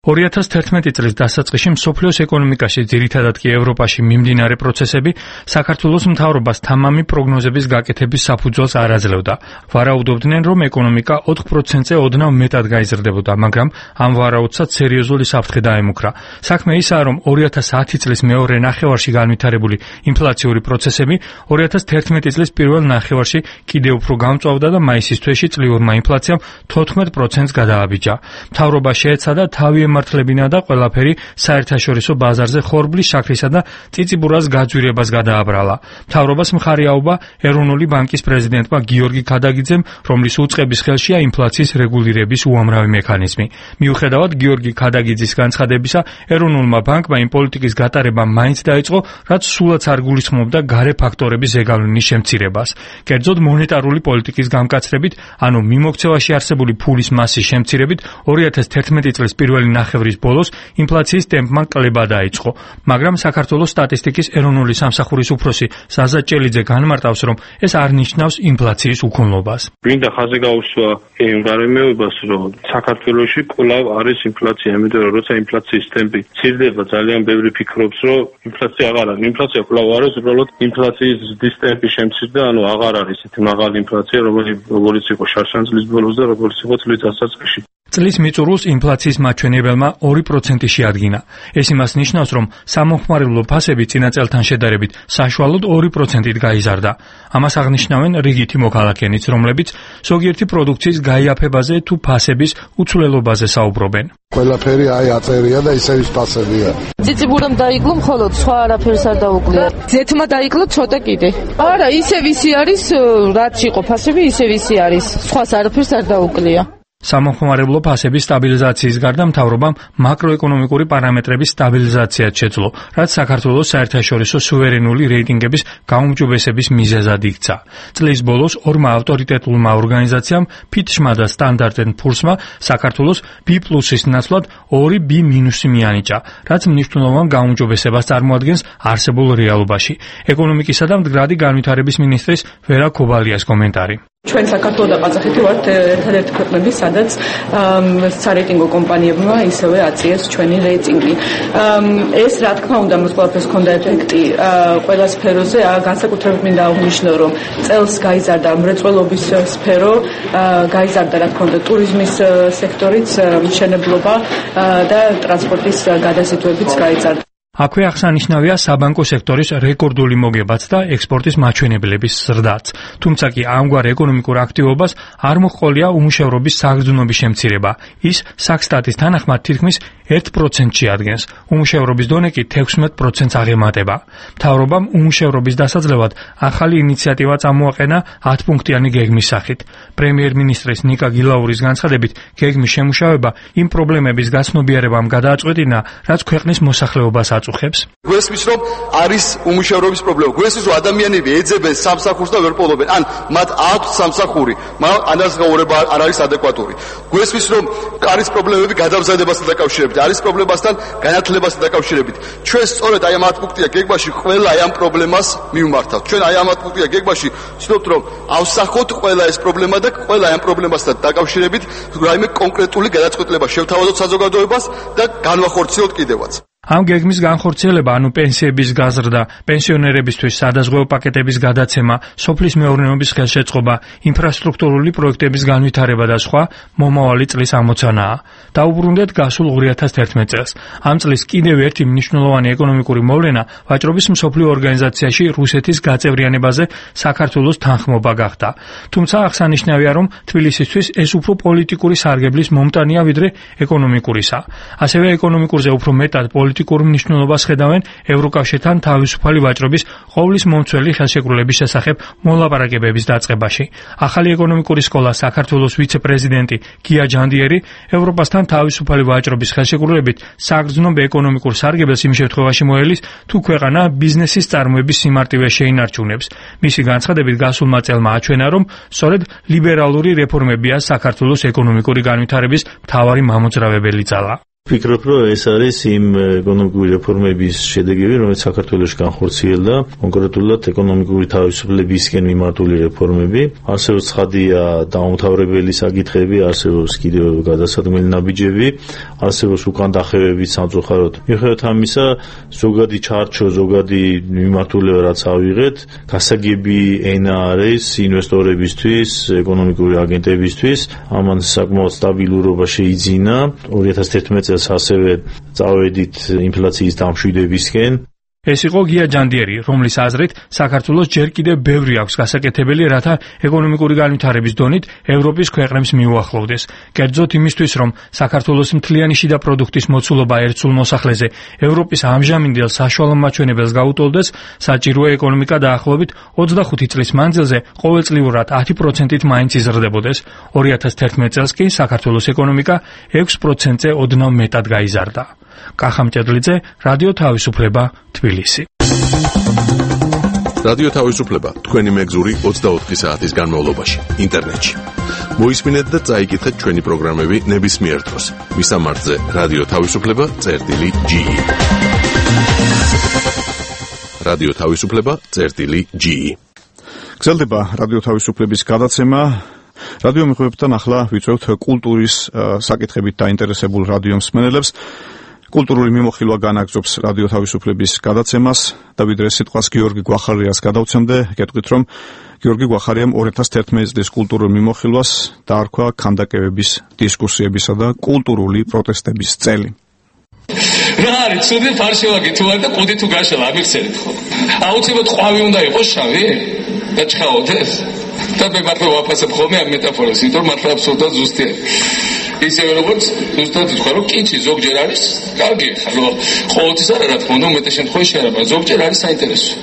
S15: 2011 წლის დასაწყისში მსოფლიოს ეკონომიკაში, ძირითადად კი ევროპაში მიმდინარე პროცესები საქართველოს მთავრობას თამამი პროგნოზების გაკეთების საფუძველს არ აძლევდა. ვარაუდობდნენ, რომ ეკონომიკა 4%-ზე ოდნავ მეტად გაიზრდებოდა, მაგრამ ამ ვარაუდსაც სერიოზული საფრთხე დაემუქრა. საქმე ისაა, რომ 2010 წლის მეორე ნახევარში განვითარებული ინფლაციური პროცესები 2011 წლის პირველ ნახევარში კიდევ უფრო გამწვავდა და მაისის თვეში წლიურმა ინფლაციამ 14%-ს გადააბიჯა. მთავრობა შეეცადა თავი ემართლებინა და ყველაფერი საერთაშორისო ბაზარზე ხორბლის შაქრისა და წიწიბურას გაძვირებას გადააბრალა. მთავრობას მხარი აუღა ეროვნული ბანკის პრეზიდენტმა გიორგი ქადაგიძემ, რომლის უწყების ხელშია ინფლაციის რეგულირების უამრავი მექანიზმი. მიუხედავად გიორგი ქადაგიძის განცხადებისა, ეროვნულმა ბანკმა იმ პოლიტიკის გატარება მაინც დაიწყო, რაც სულაც არ გულისხმობდა გარე ფაქტორების ზეგავლენის შემცირებას. კერძოდ მონეტარული პოლიტიკის გამკაცრებით, ანუ მიმოქცევაში არსებული ფულის მასის შემცირებით 2011 წლის პირველი ნახევრის ბოლოს ინფლაციის ტემპმა კლება დაიწყო, მაგრამ საქართველოს სტატისტიკის ეროვნული სამსახურის უფროსი ზაზა ჭელიძე განმარტავს, რომ ეს არ ნიშნავს ინფლაციის უქონლობას.
S9: გვინდა ხაზი გაუსვა იმ გარემოებას, რომ საქართველოში კვლავ არის ინფლაცია, იმიტომ რომ როცა ინფლაციის ტემპი ცირდება, ძალიან ბევრი ფიქრობს, რომ ინფლაცია აღარ არის. ინფლაცია კვლავ არის, უბრალოდ ინფლაციის ზრდის ტემპი შემცირდა, ანუ აღარ არის ისეთი მაღალი ინფლაცია, როგორც იყო შარშან წლის ბოლოს და როგორც იყო წლის დასაწყისში.
S15: წლის მიწურულს ინფლაციის მაჩვენებელმა 2% შეადგინა. ეს იმას ნიშნავს, რომ სამომხმარებლო ფასები წინა წელთან შედარებით საშუალოდ 2%-ით გაიზარდა. ამას აღნიშნავენ რიგითი მოქალაქეებიც, რომლებიც ზოგიერთი პროდუქციის გაიაფებაზე თუ ფასების უცვლელობაზე საუბრობენ.
S16: ყველაფერი აწერია და ისე ის ფასებია.
S17: ციციბურამ დაიკლო, მხოლოდ სხვა არაფერს არ დაუკლია. ზეთმა დაიკლო ცოტა კიდე. არა, ისე ვისი არის, რაც იყო ფასები, ისე ვისი არის. სხვას არაფერს არ დაუკლია.
S15: სამომხმარებლო ფასების სტაბილიზაციის გარდა მთავრობამ მაკროეკონომიკური პარამეტრების სტაბილიზაციაც შეძლო, რაც საქართველოს საერთაშორისო სუვერენული რეიტინგების გაუმჯობესების მიზეზად იქცა. წლის ბოლოს ორმა ავტორიტეტულმა ორგანიზაციამ ფიტჩმა და სტანდარტ ენდ ფურსმა საქართველოს B+-ის ნაცვლად 2B- მიანიჭა, რაც მნიშვნელოვან გაუმჯობესებას წარმოადგენს არსებულ რეალობაში. ეკონომიკისა და მდგრადი განვითარების მინისტრის ვერა ქობალიას კომენტარი.
S18: ჩვენ საქართველო და ყაზახეთი ვართ ერთადერთი ქვეყნები, სადაც სარეიტინგო კომპანიებმა ისევე აწიეს ჩვენი რეიტინგი. ეს რა თქმა უნდა მას ყველაფერს ჰქონდა ეფექტი ყველა სფეროზე, განსაკუთრებით მინდა აღვნიშნო, რომ წელს გაიზარდა მრეწველობის სფერო, გაიზარდა რა თქმა უნდა ტურიზმის სექტორიც, მშენებლობა და ტრანსპორტის გადაზიდვებიც გაიზარდა.
S15: აქვე აღსანიშნავია საბანკო სექტორის რეკორდული მოგებაც და ექსპორტის მაჩვენებლების ზრდაც. თუმცა კი ამგვარ ეკონომიკურ აქტივობას არ მოჰყოლია უმუშევრობის საგრძნობის შემცირება. ის საქსტატის თანახმად თითქმის 1% შეადგენს. უმუშევრობის დონე კი 16%-ს აღემატება. მთავრობამ უმუშევრობის დასაძლევად ახალი ინიციატივა წამოაყენა 10-პუნქტიანი გეგმის სახით. პრემიერ-მინისტრის ნიკა გილაურის განცხადებით, გეგმის შემუშავება იმ პრობლემების გაცნობიერებამ გადააწყვეტინა, რაც ქვეყნის მოსახლეობას აწუხებს.
S19: გვესმის, რომ არის უმუშევრობის პრობლემა. გვესმის, რომ ადამიანები ეძებენ სამსახურს და ვერ პოულობენ. ან მათ აქვს სამსახური, მაგრამ ანაზღაურება არ არის ადეკვატური. გვესმის, რომ არის პრობლემები გადამზადებასთან დაკავშირებით, არის პრობლემასთან განათლებასთან დაკავშირებით. ჩვენ სწორედ აი ამ 10 პუნქტია გეგმაში ყველა აი ამ პრობლემას მივმართავთ. ჩვენ აი ამ 10 პუნქტია გეგმაში ვცდილობთ, რომ ავსახოთ ყველა ეს პრობლემა და ყველა აი ამ პრობლემასთან დაკავშირებით რაიმე კონკრეტული გადაწყვეტილება შევთავაზოთ საზოგადოებას და განვახორციელოთ კიდევაც.
S15: ამ გეგმის განხორციელება, ანუ პენსიების გაზრდა, პენსიონერებისთვის სადაზღვევო პაკეტების გადაცემა, სოფლის მეურნეობის ხელშეწყობა, ინფრასტრუქტურული პროექტების განვითარება და სხვა მომავალი წლის ამოცანაა. დაუბრუნდეთ გასულ 2011 წელს. ამ წლის კიდევ ერთი მნიშვნელოვანი ეკონომიკური მოვლენა ვაჭრობის მსოფლიო ორგანიზაციაში რუსეთის გაწევრიანებაზე საქართველოს თანხმობა გახდა. თუმცა აღსანიშნავია, რომ თბილისისთვის ეს უფრო პოლიტიკური სარგებლის მომტანია ვიდრე ეკონომიკურისა. ასევე ეკონომიკურზე უფრო მეტად პოლიტიკურ მნიშვნელობას ხედავენ ევროკავშირთან თავისუფალი ვაჭრობის ყოვლის მომცველი ხელშეკრულების შესახებ მოლაპარაკებების დაწყებაში. ახალი ეკონომიკური სკოლა საქართველოს ვიცე-პრეზიდენტი გია ჯანდიერი ევროპასთან თავისუფალი ვაჭრობის ხელშეკრულებით საგრძნობ ეკონომიკურ სარგებელს იმ შემთხვევაში მოელის, თუ ქვეყანა ბიზნესის წარმოების სიმარტივეს შეინარჩუნებს. მისი განცხადებით გასულმა წელმა აჩვენა, რომ სწორედ ლიბერალური რეფორმებია საქართველოს ეკონომიკური განვითარების მთავარი მამოძრავებელი ძალა.
S20: ვფიქრობ, რომ ეს არის იმ ეკონომიკური რეფორმების შედეგები, რომელიც საქართველოში განხორციელდა, კონკრეტულად ეკონომიკური თავისუფლებისკენ მიმართული რეფორმები. არსებობს ცხადია დაუმთავრებელი საკითხები, არსებობს კიდევ გადასადგმელი ნაბიჯები, არსებობს უკან დახევები სამწუხაროდ. მიუხედავად ამისა, ზოგადი ჩარჩო, ზოგადი მიმართულება რაც ავიღეთ, გასაგები ენა არის ინვესტორებისთვის, ეკონომიკური აგენტებისთვის, ამან საკმაოდ სტაბილურობა შეიძინა. 2011 წელს ასევე წავედით ინფლაციის დამშვიდებისკენ.
S15: ეს იყო გია ჯანდიერი, რომლის აზრით საქართველოს ჯერ კიდევ ბევრი აქვს გასაკეთებელი, რათა ეკონომიკური განვითარების დონით ევროპის ქვეყნებს მიუახლოვდეს. კერძოდ იმისთვის, რომ საქართველოს მთლიანი შიდა პროდუქტის მოცულობა ერთ სულ მოსახლეზე ევროპის ამჟამინდელ საშუალო მაჩვენებელს გაუტოლდეს, საჭიროა ეკონომიკა დაახლოებით 25 წლის მანძილზე ყოველწლიურად 10%-ით მაინც იზრდებოდეს. 2011 წელს კი საქართველოს ეკონომიკა 6%-ზე ოდნავ მეტად გაიზარდა. კახა მჭედლიძე, რადიო თავისუფლება, თბილისი.
S5: რადიო თავისუფლება თქვენი მეგზური 24 საათის განმავლობაში ინტერნეტში. მოისმინეთ და წაიკითხეთ ჩვენი პროგრამები ნებისმიერ დროს. მისამართზე რადიო თავისუფლება.ge. რადიო თავისუფლება.ge.
S3: გრძელდება რადიო თავისუფლების გადაცემა. რადიო მიღებებთან ახლა ვიწევთ კულტურის საკითხებით დაინტერესებულ რადიო მსმენელებს. კულტურული მიმოხილვა განაგრძობს რადიო თავისუფლების გადაცემას და ვიდრე სიტყვას გიორგი გვახარიას გადავცემდე, გეტყვით რომ გიორგი გვახარიამ 2011 წლის კულტურულ მიმოხილვას დაარქვა ქანდაკებების, დისკუსიებისა და კულტურული პროტესტების წელი.
S21: რა არის ცუდი ფარშევაგი თუ არ და ყუდი თუ გაშალა ამიხსენით ხო? აუცილებლად ყვავი უნდა იყოს შავი? და ჩხაოდეს? და მე მართლა ვაფასებ ხოლმე ამ მეტაფორას, იმიტომ მართლა აბსოლუტურად ზუსტია. ისევე როგორც ზუსტად თქვა რომ კიცი ზოგჯერ არის კარგი ხალხო ყოველთვის არა რა თქმა უნდა უმეტეს შემთხვევაში არა მაგრამ ზოგჯერ არის საინტერესო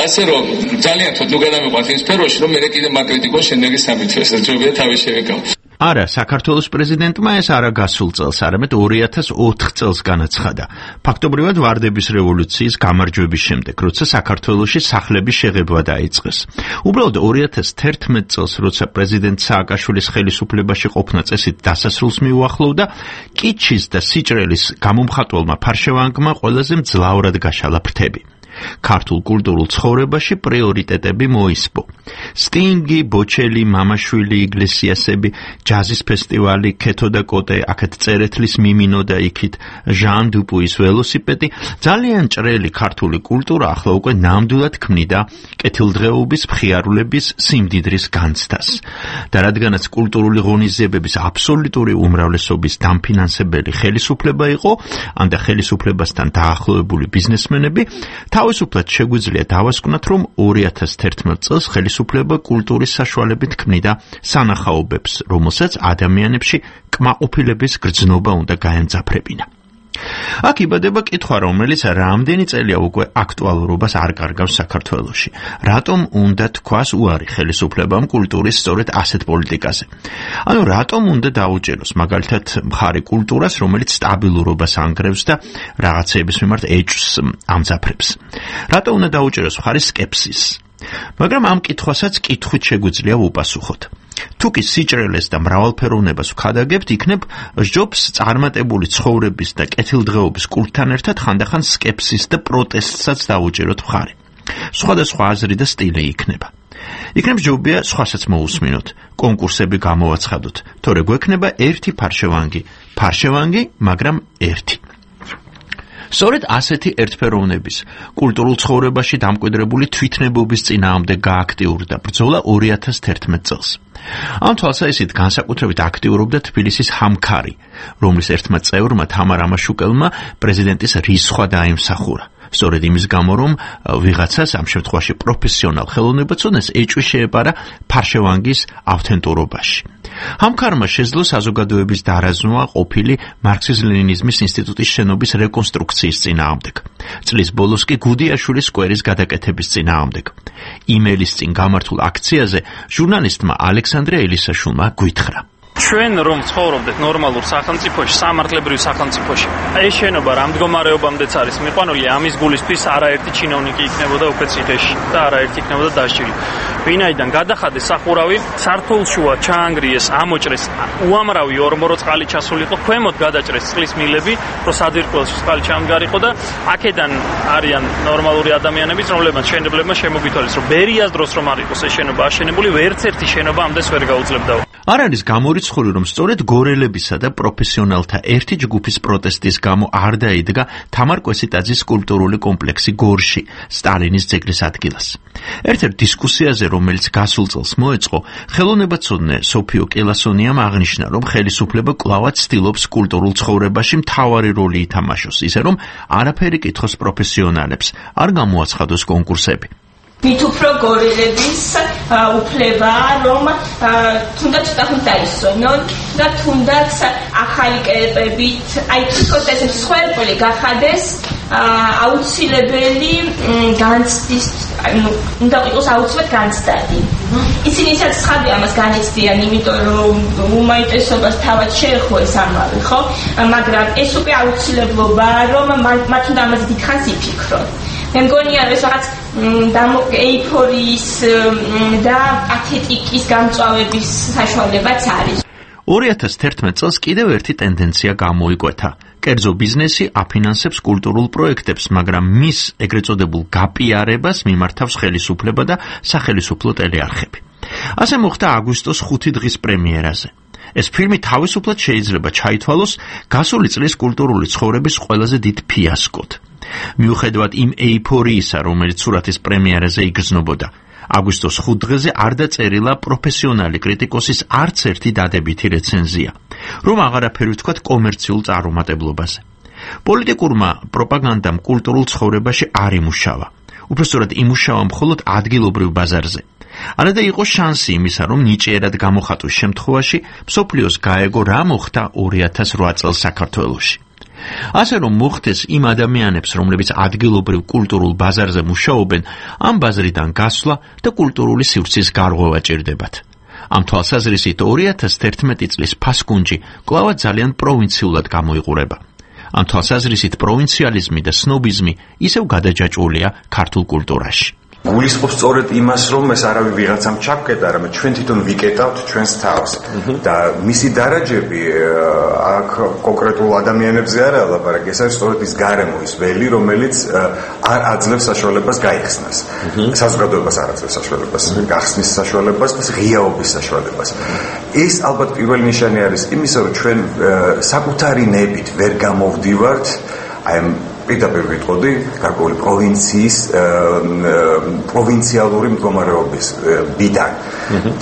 S21: ასე რომ ძალიან თოთ ნუ გადამიყვანთ იმ სფეროში რომ მე კიდე მაკრიტიკოს შემდეგი სამით ეს ჯობია თავი შევეკავ
S22: არა, საქართველოს პრეზიდენტმა ეს არა გასულ წელს, არამედ 2004 წელს განაცხადა. ფაქტობრივად ვარდების რევოლუციის გამარჯვების შემდეგ, როცა საქართველოში სახლების შეღებვა დაიწყეს. უბრალოდ 2011 წელს, როცა პრეზიდენტ სააკაშვილის ხელისუფლებაში ყოფნა წესით დასასრულს მიუახლოვდა, კიჩის და სიჭრელის გამომხატველმა ფარშევანგმა ყველაზე მძლავრად გაშალა ფრთები. ქართულ კულტურულ ცხოვრებაში პრიორიტეტები მოისპო. სტინგი, ბოჩელი, მამაშვილი, იგლესიასები, ჯაზის ფესტივალი, ქეთო და კოტე, აქეთ წერეთლის მიმინო და იქით, ჟან დუპუის ველოსიპედი, ძალიან ჭრელი ქართული კულტურა ახლა უკვე ნამდვილად ქმნიდა კეთილდღეობის, მხიარულების, სიმდიდრის განცდას. და რადგანაც კულტურული ღონისძიებების აბსოლუტური უმრავლესობის დამფინანსებელი ხელისუფლება იყო, ან და ხელისუფლებასთან დაახლოებული ბიზნესმენები, თავისუფლად შეგვიძლია დავასკვნათ, რომ 2011 წელს ხელისუფლება კულტურის საშუალებით ქმნიდა სანახაობებს, რომელსაც ადამიანებში კმაყოფილების გრძნობა უნდა გაემძაფრებინა. აქ იბადება კითხვა, რომელიც რამდენი წელია უკვე აქტუალურობას არ კარგავს საქართველოში. რატომ უნდა თქვას უარი ხელისუფლებამ კულტურის სწორედ ასეთ პოლიტიკაზე? ანუ რატომ უნდა დაუჭეროს მაგალითად მხარი კულტურას, რომელიც სტაბილურობას ანგრევს და რაღაცეების მიმართ ეჭვს ამძაფრებს? რატომ უნდა დაუჭეროს მხარი სკეპსის? მაგრამ ამ კითხვასაც კითხვით შეგვიძლია ვუპასუხოთ. თუ კი სიჭრელეს და მრავალფეროვნებას ვქადაგებთ, იქნებ სჯობს წარმატებული ცხოვრების და კეთილდღეობის კულტთან ერთად ხანდახან სკეპსის და პროტესტსაც დაუჭეროთ მხარი. სხვადასხვა აზრი და სტილი იქნება. იქნებ ჯობია სხვასაც მოусმინოთ, კონკურსები გამოვაცხადოთ, თორე გვექნება ერთი ფარშევანგი, მაგრამ ერთი. სწორედ ასეთი ერთფეროვნების, კულტურულ ცხოვრებაში დამკვიდრებული თვითნებობის წინააღმდეგ გააქტიურდა ბრძოლა 2011 წელს. ამ თვალსაზრისით განსაკუთრებით აქტიურობდა თბილისის ჰამქარი, რომლის ერთმა წევრმა თამარ ამაშუკელმა პრეზიდენტის რისხვა დაიმსახურა. სწორედ იმის გამო, რომ ვიღაცას ამ შემთხვევაში პროფესიონალ ხელოვნებაცოდნეს ეჭვი შეეპარა ფარშევანგის ავთენტურობაში. ჰამქარმა შეძლო საზოგადოების დარაზმვა ყოფილი მარქსიზმ-ლენინიზმის ინსტიტუტის შენობის რეკონსტრუქციის წინააღმდეგ. წლის ბოლოს კი გუდიაშვილის სკვერის გადაკეთების წინააღმდეგ. იმელის წინ გამართულ აქციაზე ჟურნალისტმა ალექსანდრე ელისაშვილმა გვითხრა:
S23: ჩვენ რომ ცხოვრობდეთ ნორმალურ სახელმწიფოში, სამართლებრივ სახელმწიფოში, ეს შენობა რამ მდგომარეობამდეც არის მიყვანილი, ამის გულისთვის არაერთი ჩინოვნიკი იქნებოდა უკვე ციხეში და არაერთი იქნებოდა დასჯილი. ვინაიდან გადახადეს სახურავი, სართულშუა ჩაანგრიეს, ამოჭრეს უამრავი ორმორო წყალი ჩასულიყო, ქვემოთ გადაჭრეს წყლის მილები, რომ საძირკველში წყალი ჩამდგარიყო და აქედან არიან ნორმალური ადამიანები, რომლებმაც მშენებლებმა შემოგითვალეს, რომ ბერიას დროს რომ არ იყოს ეს შენობა აშენებული, ვერც ერთი შენობა ამდენს ვერ გაუძლებდა.
S22: არ არის გამორიცხული, რომ სწორედ გორელებისა და პროფესიონალთა ერთი ჯგუფის პროტესტის გამო არ დაიდგა თამარ კვესიტაძის სკულპტურული კომპლექსი გორში, სტალინის ძეგლის ადგილას. ერთ-ერთ დისკუსიაზე, რომელიც გასულ წელს მოეწყო, ხელოვნებაცოდნე სოფიო კელასონიამ აღნიშნა, რომ ხელისუფლება კვლავაც ცდილობს კულტურულ ცხოვრებაში მთავარი როლი ითამაშოს, ისე რომ არაფერი კითხოს პროფესიონალებს, არ გამოაცხადოს კონკურსები.
S24: მით უფრო გორელების უფლება, რომ თუნდაც ცოტა დაისვენონ და თუნდაც ახალი კერპებით, აი თვითონ ეს სხვაერტული გახადეს აუცილებელი განცდის, უნდა იყოს აუცილებლად განცდადი. ისინი ისაც ხადი ამას განიცდიან, იმიტომ რომ უმეტესობას თავად შეეხოს ამავე, ხო? მაგრამ ეს უკვე აუცილებლობაა, რომ მათ უნდა ამაზე დიდხანს იფიქრონ. მე მგონია ეს რაღაც ეიფორიის და პათეტიკის გამწვავების საშუალებაც არის.
S22: 2011 წელს კიდევ ერთი ტენდენცია გამოიკვეთა. კერძო ბიზნესი აფინანსებს კულტურულ პროექტებს, მაგრამ მის ეგრეთ წოდებულ გაპიარებას მიმართავს ხელისუფლება და სახელისუფლო ტელეარხები. ასე მოხდა აგვისტოს 5 დღის პრემიერაზე. ეს ფილმი თავისუფლად შეიძლება ჩაითვალოს გასული წლის კულტურული ცხოვრების ყველაზე დიდ ფიასკოდ. მიუხედავად იმ ეიფორიისა, რომელიც სურათის პრემიერაზე იგრძნობოდა, აგვისტოს 5 დღეზე არ დაწერილა პროფესიონალი კრიტიკოსის არც ერთი დადებითი რეცენზია, რომ აღარაფერი ვთქვათ კომერციულ წარუმატებლობაზე. პოლიტიკურმა პროპაგანდამ კულტურულ ცხოვრებაში არ იმუშავა. უпростоრად იმუშავა მხოლოდ ადგილობრივ ბაზარზე. არადა იყო შანსი იმისა, რომ ნიჭიერად გამოხატვის შემთხვევაში მსოფლიოს გაეგო რა მოხდა 2008 წელს საქართველოში. ასე რომ მოხდეს იმ ადამიანებს, რომლებიც ადგილობრივ კულტურულ ბაზარზე მუშაობენ, ამ ბაზრიდან გასვლა და კულტურული სივრცის გარღვევა ჭირდებათ. ამ თვალსაზრისით 2011 წლის ფასკუნჯი კვლავად ძალიან პროვინციულად გამოიყურება. ამ თვალსაზრისით პროვინციალიზმი და სნობიზმი ისევ გადაჯაჭვულია ქართულ კულტურაში.
S1: გულისხმობს სწორედ იმას, რომ ეს არავის ვიღაცამ ჩაფკეტა, არამედ ჩვენ თვითონ ვიკეტავთ ჩვენს თავს და მისი დარაჯები აქ კონკრეტულ ადამიანებზე არა ლაპარაკი, ეს არის სწორედ ის გარემო, ის ველი, რომელიც არ აძლევს საშუალებას გაიხსნას. საზოგადოებას არ აძლევს საშუალებას გახსნის საშუალებას და ღიაობის საშუალებას. ეს ალბათ პირველი ნიშანი არის იმისა, რომ ჩვენ საკუთარი ნებით ვერ გამოვდივართ აი პირდაპირ ვიტყოდი გარკვეული პროვინციის პროვინციალური მდგომარეობის ბიდან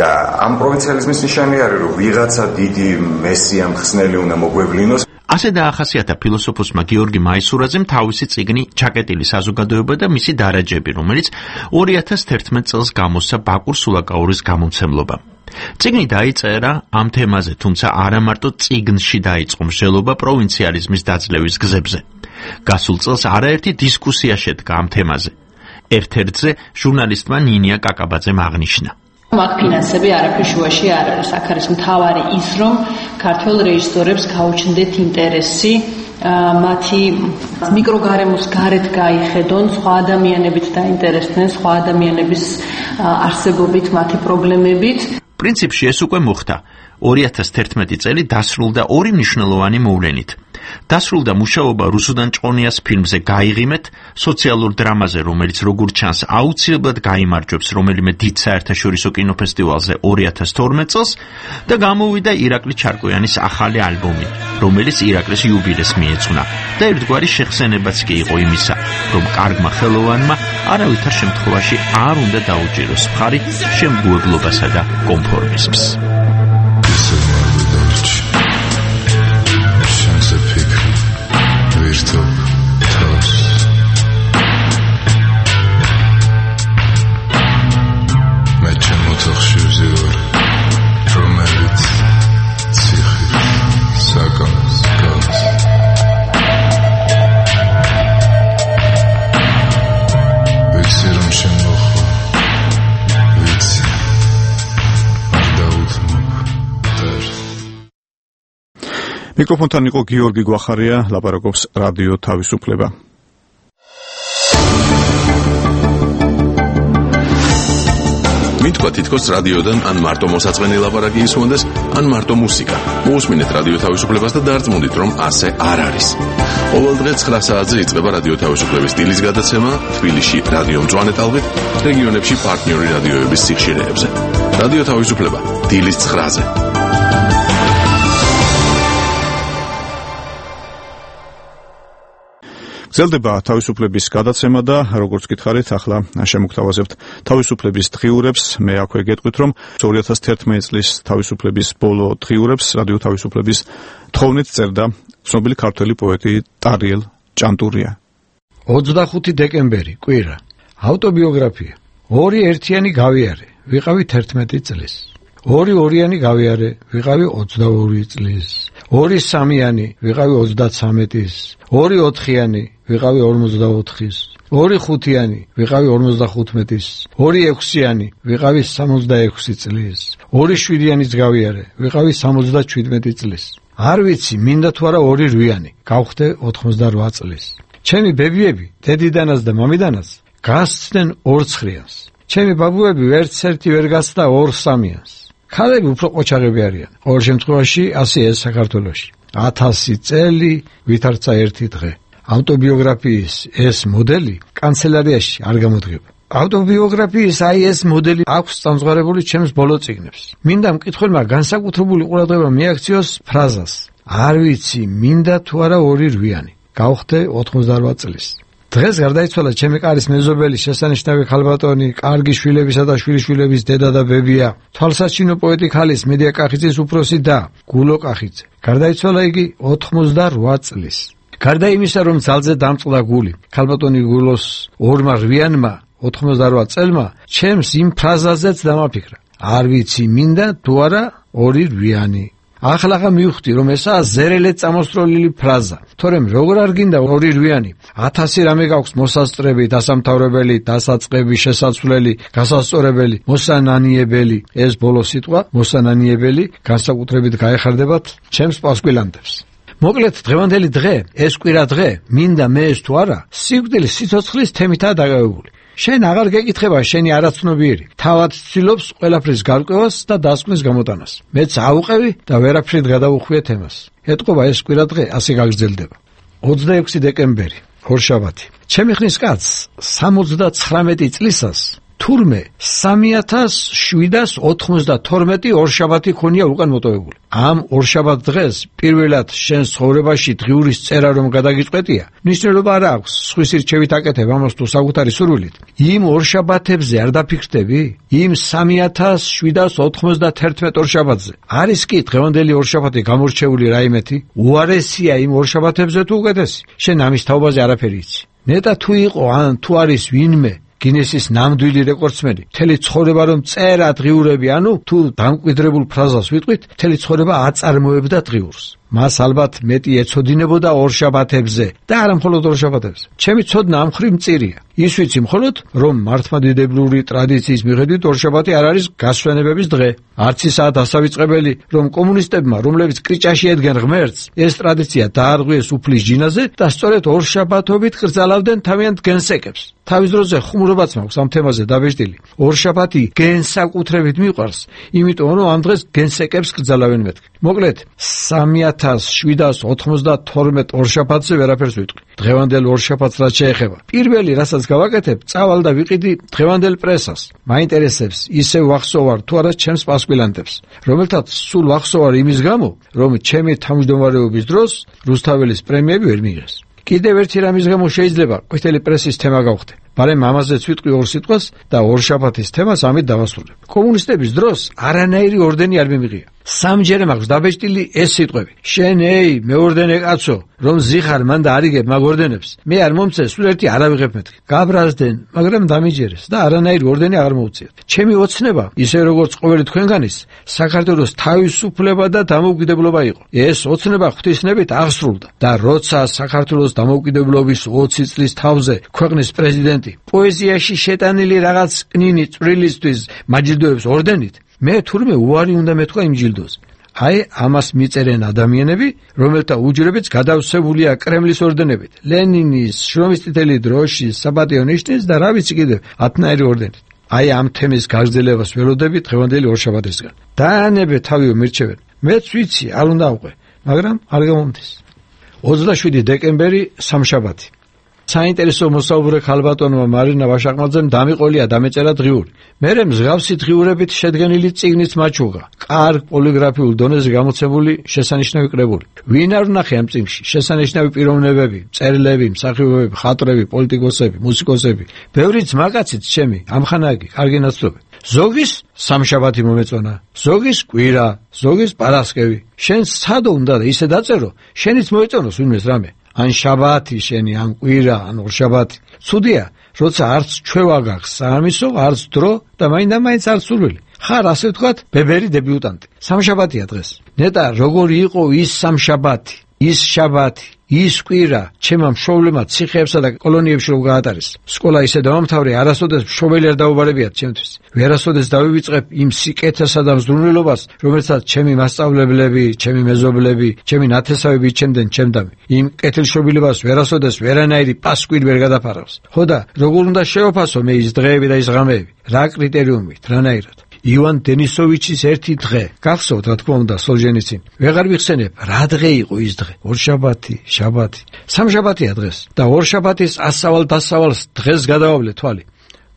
S1: და ამ პროვინციალიზმის ნიშანი არის რომ ვიღაცა დიდი მესია მხსნელი უნდა მოგვევლინოს.
S22: ასე დაახასიათა ფილოსოფოსმა გიორგი მაისურაძემ თავისი წიგნი „ჩაკეტილი საზოგადოება და მისი დარაჯები“, რომელიც 2011 წელს გამოსცა ბაკურ სულაკაურის გამომცემლობამ. წიგნი დაიწერა ამ თემაზე, თუმცა არა მარტო წიგნში დაიწყო მსჯელობა პროვინციალიზმის დაძლევის გზებზე. გასულ წელს არაერთი დისკუსია შედგა ამ თემაზე. ერთ-ერთზე ჟურნალისტმა ნინია კაკაბაძემ აღნიშნა.
S2: მაგ ფინანსები არაფერ შუაში არ არის. აქ არის მთავარი ის, რომ ქართველ რეჟისორებს გაუჩნდეთ ინტერესი მათი მიკროგარემოს გარეთ გაიხედონ, სხვა ადამიანებით დაინტერესდნენ, სხვა ადამიანების არსებობით, მათი პრობლემებით.
S22: პრინციპში ეს უკვე მოხდა. 2011 წელი დასრულდა ორი მნიშვნელოვანი მოვლენით. დასრულდა მუშაობა რუსუდან ჭყონიას ფილმზე „გაიღიმეთ“, სოციალურ დრამაზე, რომელიც როგორც ჩანს აუცილებლად გაიმარჯვებს რომელიმე დიდ საერთაშორისო კინოფესტივალზე 2012 წელს და გამოვიდა ირაკლი ჩარკვიანის ახალი ალბომი, რომელიც ირაკლის იუბილეს მიეძღვნა და ერთგვარი შეხსენებაც კი იყო იმისა, რომ კარგმა ხელოვანმა არავითარ შემთხვევაში არ უნდა დაუჭიროს მხარი შემგუებლობასა და კონფორმიზმს.
S3: მიკროფონთან იყო გიორგი გვახარია, ლაპარაკობს რადიო თავისუფლება.
S5: მითქვა თითქოს რადიოდან ან მარტო მოსაწყენი ლაპარაკი ისმონდეს, ან მარტო მუსიკა. მოусმინეთ რადიო თავისუფლებას და დარწმუნდით, რომ ასე არ არის. ყოველ დღე 9 საათზე იწყება რადიო თავისუფლების დილის გადაცემა თბილისში რადიო მწვანე ტალღით, რეგიონებში პარტნიორი რადიოების სიხშირეებზე. რადიო თავისუფლება დილის 9-ზე.
S3: გრძელდება თავისუფლების გადაცემა და როგორც გითხარით, ახლა შემოგთავაზებთ თავისუფლების დღიურებს. მე აქვე გეტყვით, რომ 2011 წლის თავისუფლების ბოლო დღიურებს რადიო თავისუფლების თხოვნით წერდა ცნობილი ქართველი პოეტი ტარიელ ჭანტურია.
S6: 25 დეკემბერი, კვირა. ავტობიოგრაფია. 2 ერთიანი გავიარე, ვიყავი 11 წლის. 2 ორიანი გავიარე, ვიყავი 22 წლის. 2 სამიანი, ვიყავი 33-ის. 2 ოთხიანი, ვიყავი 44-ის. 2 ხუთიანი, ვიყავი 55-ის. 2 ექვსიანი, ვიყავი 66 წლის. 2 შვიდიანიც გავიარე, ვიყავი 77 წლის. არ ვიცი, მინდა თუ არა 2 რვიანი, გავხდე 88 წლის. ჩემი ბებიები, დედიდანაც და მამიდანაც გასცდნენ 2 ცხრიანს. ჩემი ბაბუები ვერცერთი ვერ გასცდა 2 სამიანს. ქალები უფრო ყოჩაღები არიან. ყოველ შემთხვევაში ასეა საქართველოში. 1000 წელი ვითარცა ერთი დღე. ავტობიოგრაფიის ეს მოდელი კანცელარიაში არ გამოდგება. ავტობიოგრაფიის აი ეს მოდელი აქვს წამსღარებული ჩემს ბოლო წიგნებს. მინდა მკითხველმა განსაკუთრებული ყურადღება მიაქციოს ფრაზას. არ ვიცი, მინდა თუ არა 2 რვიანი. გავხდე 88 წლის. დღეს გარდაიცვალა ჩემი კარის მეზობელი, შესანიშნავი ხალბატონი, კარგი შვილებისა და შვილიშვილების დედა და ბებია, თვალსაჩინო პოეტი ქალის მედია კახიძის უფროსი და გულო კახიძე. გარდაიცვალა იგი 88 წლის. გარდა იმისა, რომ ძალზე დამწყდა გული, ხალბატონი გულოს ორმა რვიანმა 88 წელმა ჩემს იმ ფრაზაზეც დამაფიქრა. არ ვიცი მინდა თუ არა ორი რვიანი. ახლა მივხვდი, რომ ესაა ზერელეთ წამოსწროლილი ფრაზა. თორემ როგორ არ გინდა ორი რვიანი? 1000 რამე გაქვს მოსასწრები, დასამთავრებელი, დასაწყები, შესაძლებელი, გასასწორებელი, მოსანანიებელი. ეს ბოლო სიტყვა, მოსანანიებელი, განსაკუთრებით გაეხარდებათ ჩემს პასკვილანდებს. მოკლედ, დღევანდელი დღე, ეს კვირა დღე, მინდა მე ეს თუ არა, სიკვდილის სიცოცხლის თემითაა დაკავებული. შენ აღარ გეკითხება შენი არაცნობიერი, თავად ცდილობს ყველაფრის გარკვევას და დასკვნის გამოტანას. მეც აუყევი და ვერაფრით გადავუხვიე თემას. ეტყობა ეს კვირა დღე ასე გაგრძელდება. 26 დეკემბერი, ორშაბათი. ჩემი ხნის კაცს 79 წლისას თურმე 3792 ორშაბათი ქონია უკან მოტოვებული. ამ ორშაბათ დღეს პირველად შენ ცხოვრებაში დღიურის წერა რომ გადაგიწყვეტია, ნიშნულობა არ აქვს, სხვის რჩევით აკეთებ ამას თუ საკუთარი სურვილით. იმ ორშაბათებზე არ დაფიქრდები? იმ 3791 ორშაბათზე. არის კი დღევანდელი ორშაბათი გამორჩეული რაიმეთი? უარესია იმ ორშაბათებზე თუ უკეთესი? შენ ამის თაობაზე არაფერი იცი. ნეტა თუ იყო ან თუ არის ვინმე გინესის ნამდვილი რეკორდსმენი, მთელი ცხოვრება რომ წერა დღიურები, ანუ თუ დამკვიდრებულ ფრაზას ვიტყვით, მთელი ცხოვრება აწარმოებდა დღიურს. მას ალბათ მეტი ეცოდინებოდა ორშაბათებზე და არა მხოლოდ ორშაბათებზე. ჩემი ცოდნა ამ მხრივ მწირია. ის ვიცი მხოლოდ, რომ მართლმადიდებლური ტრადიციის მიხედვით ორშაბათი არ არის გასვენებების დღე. არც ისაა დასავიწყებელი, რომ კომუნისტებმა, რომლებიც კრიჭაში ედგენ ღმერთს, ეს ტრადიცია დაარღვიეს უფლის ჯინაზე და სწორედ ორშაბათობით კრძალავდნენ თავიანთ გენსეკებს. თავის დროზე ხუმრობაც მაქვს ამ თემაზე დაბეჭდილი. ორშაბათი გენსაკუთრებით მიყვარს, იმიტომ რომ ამ დღეს გენსეკებს კრძალავენ მეთქი. მოკლედ 3792 ორშაბათზე ვერაფერს ვიტყვი. დღევანდელ ორშაბათს რაც შეეხება. პირველი, რასაც გავაკეთებ, წავალ და ვიყიდი დღევანდელ პრესას. მაინტერესებს ისევ ვახსოვარ თუ არა ჩემს პასკვილანდებს, რომელთაც სულ ვახსოვარ იმის გამო, რომ ჩემი თავმჯდომარეობის დროს რუსთაველის პრემიები ვერ მიიღეს. კიდევ ერთი რამის გამო შეიძლება ყვითელი პრესის თემა გავხდე. მაგრამ ამაზეც ვიტყვი ორ სიტყვას და ორშაბათის თემას ამით დავასრულებ. კომუნისტების დროს არანაირი ორდენი არ მიმიღია. სამჯერ მაქვს დაბეჭდილი ეს სიტყვები. შენ ეი, მეორდენე კაცო, რომ ზიხარ მან და არიგებ მაგ ორდენებს. მე არ მომწე, სულ ერთი არ ავიღებ მეთქი. გაბრაზდნენ, მაგრამ დამიჯერეს და არანაირი ორდენი აღარ მოუწიათ. ჩემი ოცნება, ისე როგორც ყოველი თქვენგანის, საქართველოს თავისუფლება და დამოუკიდებლობა იყო. ეს ოცნება ღვთისნებით აღსრულდა და როცა საქართველოს დამოუკიდებლობის 20 წლის თავზე ქვეყნის პრეზიდენტი პოეზიაში შეტანილი რაღაც კნინი წვრილისთვის მაჯილდოებს ორდენით, მე თურმე უარი უნდა მეთქვა იმ ჯილდოზე. აი ამას მიწერენ ადამიანები, რომელთა უჯრებიც გადავსებულია კრემლის ორდენებით, ლენინის, შრომის წითელი დროშის, საპატიო ნიშნის და რა ვიცი კიდევ 10-ნაირი ორდენით. აი ამ თემის გაგრძელებას ველოდები დღევანდელი ორშაბათისგან. დაანებე თავიო მირჩევენ. მეც ვიცი, არ უნდა აღვყე, მაგრამ არ გამომდის. 27 დეკემბერი, სამშაბათი. საინტერესო მოსაუბრე ხალბატონმა მარინა ვაშაყმაძემ დამიყოლია დამეწერა დღიური. მერე მსგავსი დღიურებით შედგენილი წიგნით მაჩუღა. კარგ პოლიგრაფიულ დონეზე გამოცემული შესანიშნავი კრებული. ვინ არ ვნახე ამ წიგნში? შესანიშნავი პიროვნებები, წერილები, მსახიობები, ხატრები, პოლიტიკოსები, მუსიკოსები. ბევრი ძმაკაციც ჩემი, ამხანაგი, კარგი ნაცნობი. ზოგის სამშაბათი მომეწონა, ზოგის კვირა, ზოგის პარასკევი. შენ სადო უნდა და ისე დაწერო, შენიც მოეწონოს ვინმეს რამე. ან შაბათი შენი, ან კვირა, ან ორშაბათი. ცუდია, როცა არც ჩვევა გაქვს საამისო, არც დრო და მაინდა-მაინც არც სურვილი. ხარ ასე ვთქვათ, ბებერი დებიუტანტი. სამშაბათია დღეს. ნეტა როგორი იყო ის სამშაბათი, ის შაბათი, ის კვირა, ჩემმა მშობლებმა ციხეებსა და კოლონიებში რომ გაატარეს. სკოლა ისე დავამთავრე, არასოდეს მშობელი არ დაუბარებიათ ჩემთვის. ვერასოდეს დავივიწყებ იმ სიკეთესა და მზრუნველობას, რომელსაც ჩემი მასწავლებლები, ჩემი მეზობლები, ჩემი ნათესავები იჩენდნენ ჩემდამი. იმ კეთილშობილებას ვერასოდეს ვერანაირი პასკვილი ვერ გადაფარავს. ხო და როგორ უნდა შევაფასო მე ის დღეები და ის ღამეები? რა კრიტერიუმით, რანაირად? ივან დენისოვიჩის ერთი დღე. გახსოვთ, რა თქმა უნდა, სოლჟენიცინი. ვეღარ ვიხსენებ, რა დღე იყო ის დღე? ორშაბათი, შაბათი. სამშაბათია დღეს და ორშაბათის ასავალ-დასავალს დღეს გადავავლე თვალი.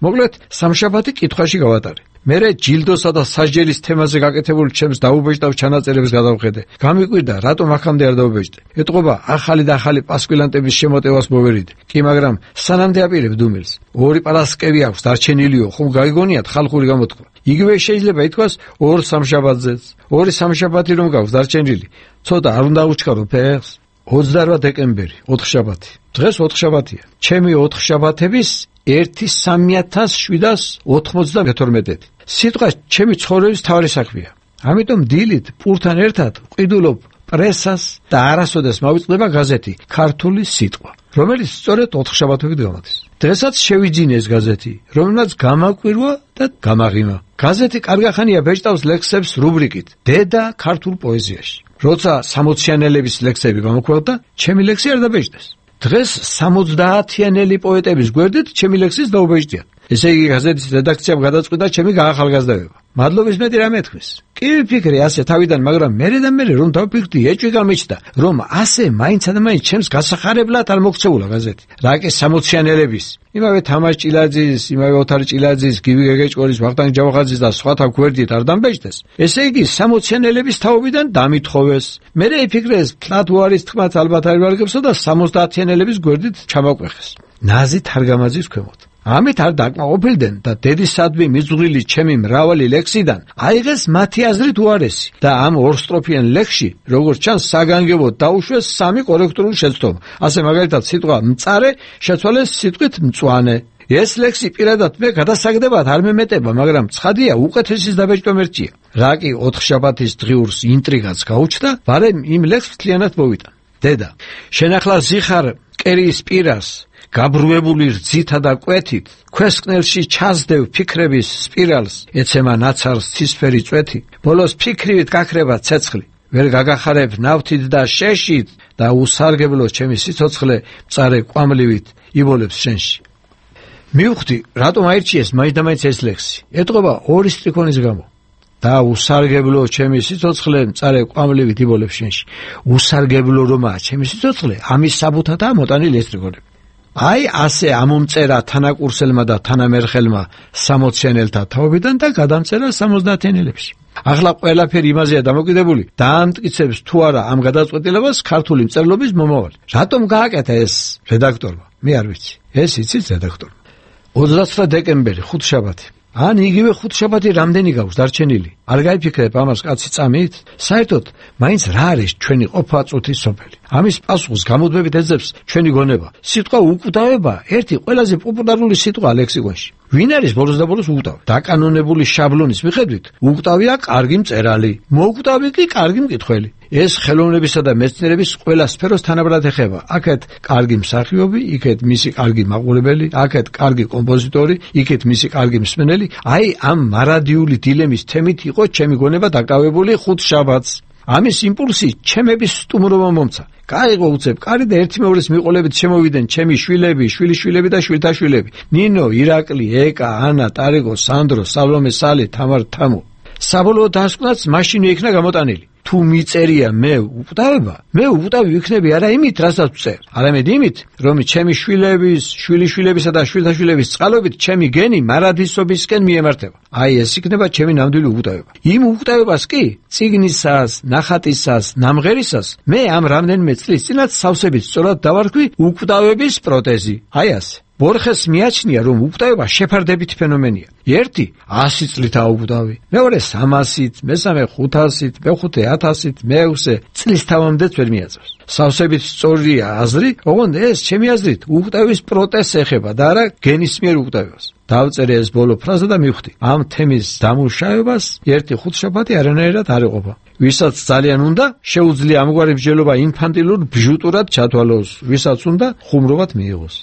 S6: მოკლედ, სამშაბათი კითხვაში გავატარე. მერე ჯილდოსა და სასჯელის თემაზე გაკეთებული ჩემს დაუბეჭდავ ჩანაწერებს გადავხედე. გამიკვირდა, რატომ აქამდე არ დაუბეჭდე. ეტყობა ახალი და ახალი პასკვილანტების შემოტევას მოვერიდე. კი, მაგრამ სანამდე აპირებ დუმილს. ორი პარასკევი აქვს დარჩენილიო, ხომ გაიგონიათ ხალხური გამოთქვა. იგივე შეიძლება ითქვას ორ სამშაბათზეც. ორი სამშაბათი რომ გაქვს დარჩენილი. ცოტა არ უნდა უჩქარო ფეხს. 28 დეკემბერი, 4 შაბათი. დღეს 4 შაბათია. ჩემი 4 შაბათების 1.3792. სიტყვა ჩემი ცხოვრების თავი საქმეა. ამიტომ დილით პურთან ერთად ყიდულობ პრესას და არასოდეს მოვიწყდება გაზეთი ქართული სიტყვა, რომელიც სწორედ 4 შაბათობით გამოდის. დღესაც შევიძინე ეს გაზეთი, რომელმაც გამაკვირვა და გამაღიმა. გაზეთი კარგახანია ბეჭდავს ლექსებს რუბრიკით დედა ქართულ პოეზიაში. როცა 60-იანელების ლექსები გამოქვეყნდა, ჩემი ლექსი არ დაბეჭდეს. დღეს 70-იანელი პოეტების გვერდით ჩემი ლექსის დაუბეჭდიან. ესე იგი გაზეთის რედაქციამ გადაწყვიტა ჩემი გაახალგაზრდავება. მადლობის მეტი რამე ეთქვის. კი ვიფიქრე ასე თავიდან, მაგრამ მერე რომ დავფიქრდი, ეჭვი გამეჩნდა, რომ ასე მაინცადამაინც ჩემს გასახარებლად არ მოქცეულა გაზეთი. რა კი 60-იანელების, იმავე თამაშ ჭილაძის, იმავე ოთარ ჭილაძის, გივი გეგეჭკორის, ვახტანგ ჯავახაძის და სხვათა გვერდით არ დამბეჭდეს. ესე იგი 60-იანელების თაობიდან დამითხოვეს. მერე იფიქრეს, თლათ უარის თქმაც ალბათ არ ვარგებსო და 70-იანელების გვერდით ჩამაყვეხეს. ნაზით არ გამაძის ქვემოთ. ამით არ დაკმაყოფილდნენ და დედისადმი მიზღვრილი ჩემი მრავალი ლექსიდან აიღეს მათი აზრით უარესი და ამ ორსტროფიან ლექსში, როგორც ჩანს, საგანგებოდ დაუშვეს 3 კორექტიული შეცდომა. ასე მაგალითად სიტყვა მწარე შეცვალეს სიტყვით მწვანე. ეს ლექსი პირადად მე გადასაგდებად არ მემეტება, მაგრამ ცხადია უკეთესის დაბეჭდვა მერჩია. რა კი 4 შაბათის დღიურს ინტრიგაც გაუჩნდა, ბარემ იმ ლექსს მთლიანად მოვიტან. დედა, შენ ახლა ზიხარ კერიის პირას გაბრუებული რძითა და კვეთით, ქვესკნელში ჩასდევ ფიქრების სპირალს, ეცემა ნაცარს ცისფერი წვეთი, ბოლოს ფიქრივით გაქრება ცეცხლი, ვერ გაგახარებ ნავთით და შეშით და უსარგებლო ჩემი სიცოცხლე მწარე კვამლივით იბოლებს შენში. მივხვდი, რატომ აირჩიეს მაინც ეს ლექსი. ეტყობა ორი სტრიქონის გამო. და უსარგებლო ჩემი სიცოცხლე მწარე კვამლივით იბოლებს შენში. უსარგებლო რომაა ჩემი სიცოცხლე, ამის საბუთადაა მოტანილი ეს სტრიქონები. აი ასე ამომწერა თანაკურსელმა და თანამერხელმა 60-იანელთა თაობიდან და გადამწერა 70-იანელებში. ახლა ყველაფერი იმაზეა დამოკიდებული, დაამტკიცებს თუ არა ამ გადაწყვეტილებას ქართული მწერლობის მომავალი. რატომ გააკეთა ეს რედაქტორმა? მე არ ვიცი. ეს იცით რედაქტორმა. 29 დეკემბერი, 5 შაბათი. ან იგივე 5 შაბათი რამდენი გაქვს დარჩენილი? არ გაიფიქრებ ამას კაცი წამით? საერთოდ მაინც რა არის ჩვენი ყოფა-წუთის სოფელი? ამის პასუხს გამუდმებით ეძებს ჩვენი გონება. სიტყვა უკვდავება ერთი ყველაზე პოპულარული სიტყვაა ლექსიკონში. ვინ არის ბოლოს და ბოლოს უკვდავი? დაკანონებული შაბლონის მიხედვით უკვდავია კარგი მწერალი, მოკვდავი კი კარგი მკითხველი. ეს ხელოვნებისა და მეცნიერების ყველა სფეროს თანაბრად ეხება. აქეთ კარგი მსახიობი, იქეთ მისი კარგი მაყურებელი, აქეთ კარგი კომპოზიტორი, იქეთ მისი კარგი მსმენელი. აი ამ მარადიული დილემის თემით იყო ჩემი გონება დაკავებული 5 შაბათს. ამის იმპულსი ჩემების სტუმრობა მომცა. გაიღო უცებ კარი და ერთიმეორის მიყოლებით შემოვიდნენ ჩემი შვილები, შვილიშვილები და შვილთაშვილები. ნინო, ირაკლი, ეკა, ანა, ტარიკო, სანდრო, სალომე, სალი, თამარ, თამო. საბოლოოდ დასკვნაც მაშინ იქნა გამოტანილი. თუ მიწერია მე უკვდავება, მე უკვდავი ვიქნები არა იმით, რასაც ვწერ, არამედ იმით, რომ ჩემი შვილების, შვილიშვილებისა და შვილთაშვილების წყალობით ჩემი გენი მარადისობისკენ მიემართება. აი ეს იქნება ჩემი ნამდვილი უკვდავება. იმ უკვდავებას კი, წიგნისას, ნახატისას, ნამღერისას მე ამ რამდენიმე წლის წინათ სავსებით სწორად დავარქვი უკვდავების პროტეზი. აი ასე. ბორხეს მიაჩნია, რომ უკვდავება შეფარდებით ფენომენია. ერთი 100 წლითაა უკვდავი, მეორე 300-ით, მესამე 500-ით, მეხუთე 1000-ით, მეექვსე წლის თავამდეც ვერ მიაწევს. სავსებით სწორია აზრი, ოღონდ ეს ჩემი აზრით უკვდავის პროტეზს ეხება და არა გენისმიერ უკვდავებას. დავწერე ეს ბოლო ფრაზა და მივხვდი, ამ თემის დამუშავებას ერთი 5 შაბათი არანაირად არ ეყოფა. ვისაც ძალიან უნდა, შეუძლია ამგვარი მსჯელობა ინფანტილურ ბჟუტურად ჩათვალოს, ვისაც უნდა, ხუმრობად მიიღოს.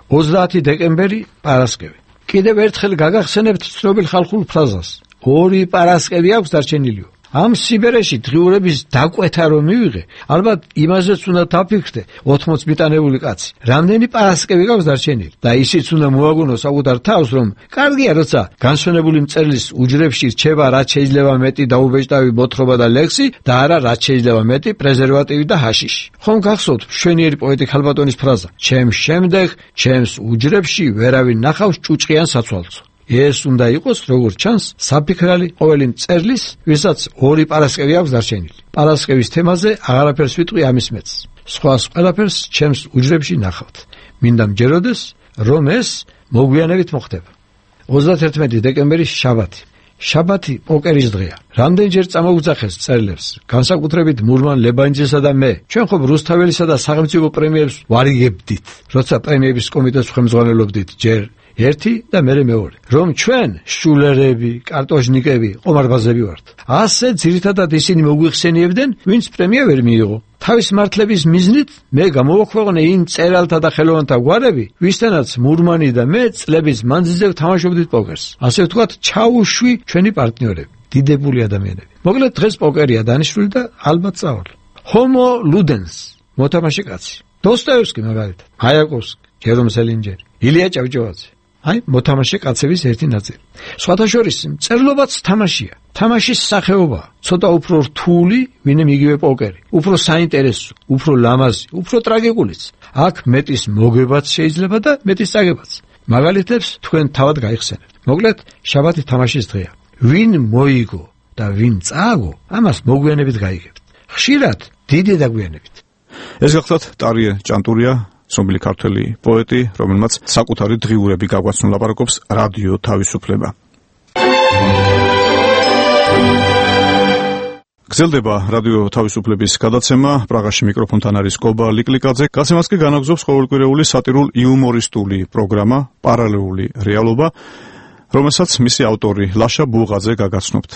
S6: 30 დეკემბერი, პარასკევი. კიდევ ერთხელ გაგახსენებთ ცნობილ ხალხურ ფრაზას. 2 პარასკევი აქვს დარჩენილიო. ამ სიბერეში დღიურების დაკვეთა რომ მივიღე, ალბათ იმაზეც უნდა დაფიქრდე 80 მიტანებული კაცი. რამდენი პარასკევი გაქვს დარჩენილი და ისიც უნდა მოაგონოს საკუთარ თავს, რომ კარგია როცა განსვენებული მწერლის უჯრებში რჩება რაც შეიძლება მეტი დაუბეჭდავი მოთხრობა და ლექსი და არა რაც შეიძლება მეტი პრეზერვატივი და ჰაშიში. ხომ გახსოვთ მშვენიერი პოეტი ქალბატონის ფრაზა: ჩემს შემდეგ ჩემს უჯრებში ვერავინ ნახავს ჭუჭყიან საცვალცო. ეს უნდა იყოს, როგორც ჩანს, საფიქრალი ყოველი მწერლის, ვისაც 2 პარასკევი აქვს დარჩენილი. პარასკევის თემაზე აღარაფერს ვიტყვი ამის მეც. სხვას ყველაფერს ჩემს უჯრებში ნახავთ. მინდა მჯეროდეს, რომ ეს მოგვიანებით მოხდება. 31 დეკემბერი შაბათი. შაბათი პოკერის დღეა. რამდენჯერ წამოუძახეს წერილებს, განსაკუთრებით მურმან ლებანიძესა და მე. ჩვენ ხომ რუსთაველისა და სახელმწიფო პრემიებს ვარიგებდით, როცა პრემიების კომიტეტს ხელმძღვანელობდით ჯერ ერთი და მერე მეორე. რომ ჩვენ შულერები, კარტოჟნიკები, ყომარბაზები ვართ. ასე ძირითადად ისინი მოგვიხსენიებდნენ, ვინც პრემია ვერ მიიღო. თავის მართლების მიზნით მე გამოვაქვეყნე იმ წერალთა და ხელოვანთა გვარები, ვისთანაც მურმანი და მე წლების მანძილზე ვთამაშობდით პოკერს. ასე ვთქვათ, ჩაუშვი ჩვენი პარტნიორები, დიდებული ადამიანები. მოკლედ დღეს პოკერია დანიშნული და ალბათ წავალ. ჰომო ლუდენს, მოთამაშე კაცი. დოსტოევსკი მაგალითად, მაიაკოვსკი, ჯერომ სელინჯერი, ილია ჭავჭავაძე. აი, მოთამაშე კაცების ერთი ნაწილი. სხვათა შორის, მწერლობაც თამაშია. თამაშის სახეობა, ცოტა უფრო რთული, ვინმე იგივე პოკერი. უფრო საინტერესო, უფრო ლამაზი, უფრო ტრაგიკულიც. აქ მეტის მოგებაც შეიძლება და მეტის წაგებაც. მაგალითებს თქვენ თავად გაიხსენებთ. მოკლედ, შაბათი თამაშის დღეა. ვინ მოიგო და ვინ წააგო, ამას მოგვიანებით გაიგებთ. ხშირად დიდი დაგვიანებით.
S3: ეს გახლავთ ტარიე ჭანტურია, ცნობილი ქართველი პოეტი, რომელმაც საკუთარი დღიურები გაგვაცნო ლაპარაკობს რადიო თავისუფლება. გრძელდება რადიო თავისუფლების გადაცემა. პრაღაში მიკროფონთან არის კობა ლიკლიკაძე. გაცემას კი განაგზობს ყოველკვირეული სატირულ იუმორისტული პროგრამა პარალელური რეალობა, რომელსაც მისი ავტორი ლაშა ბულღაძე გაგაცნობთ.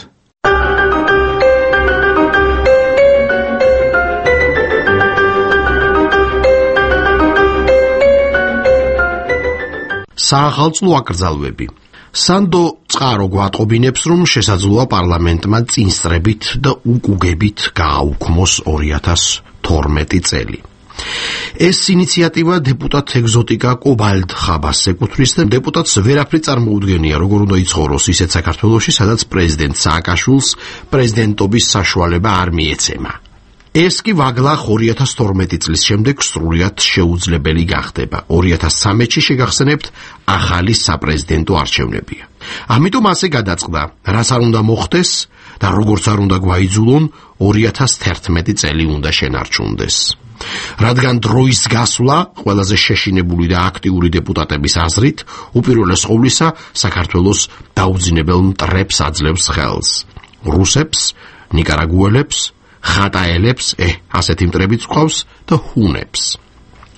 S4: საახალწლო აკრძალვები. სანდო წყარო გვატყობინებს, რომ შესაძლოა პარლამენტმა წინსწრებით და უკუგებით გააუქმოს 2012 წელი. ეს ინიციატივა დეპუტატ ეგზოტიკა კობალდ ხაბასს ეკუთვნის და დეპუტატს ვერაფერი წარმოუდგენია, როგორ უნდა იცხოვროს ისეთ საქართველოში, სადაც პრეზიდენტ სააკაშვილს პრეზიდენტობის საშუალება არ მიეცემა. ეს კი ვაგლახ 2012 წლის შემდეგ სრულად შეუძლებელი გახდება. 2013-ში შეგახსენებთ, ახალი საპრეზიდენტო არჩევნებია. ამიტომ ასე გადაწყდა, რაც არ უნდა მოხდეს და როგორც არ უნდა გვაიძულონ, 2011 წელი უნდა შენარჩუნდეს. რადგან დროის გასვლა ყველაზე შეშინებული და აქტიური დეპუტატების აზრით, უპირველეს ყოვლისა, საქართველოს დაუძინებელ მტრებს აძლევს ხელს. რუსებს, ნიკარაგუელებს, ხატაელებს, ასეთი მტრებიც ყავს და ჰუნებს.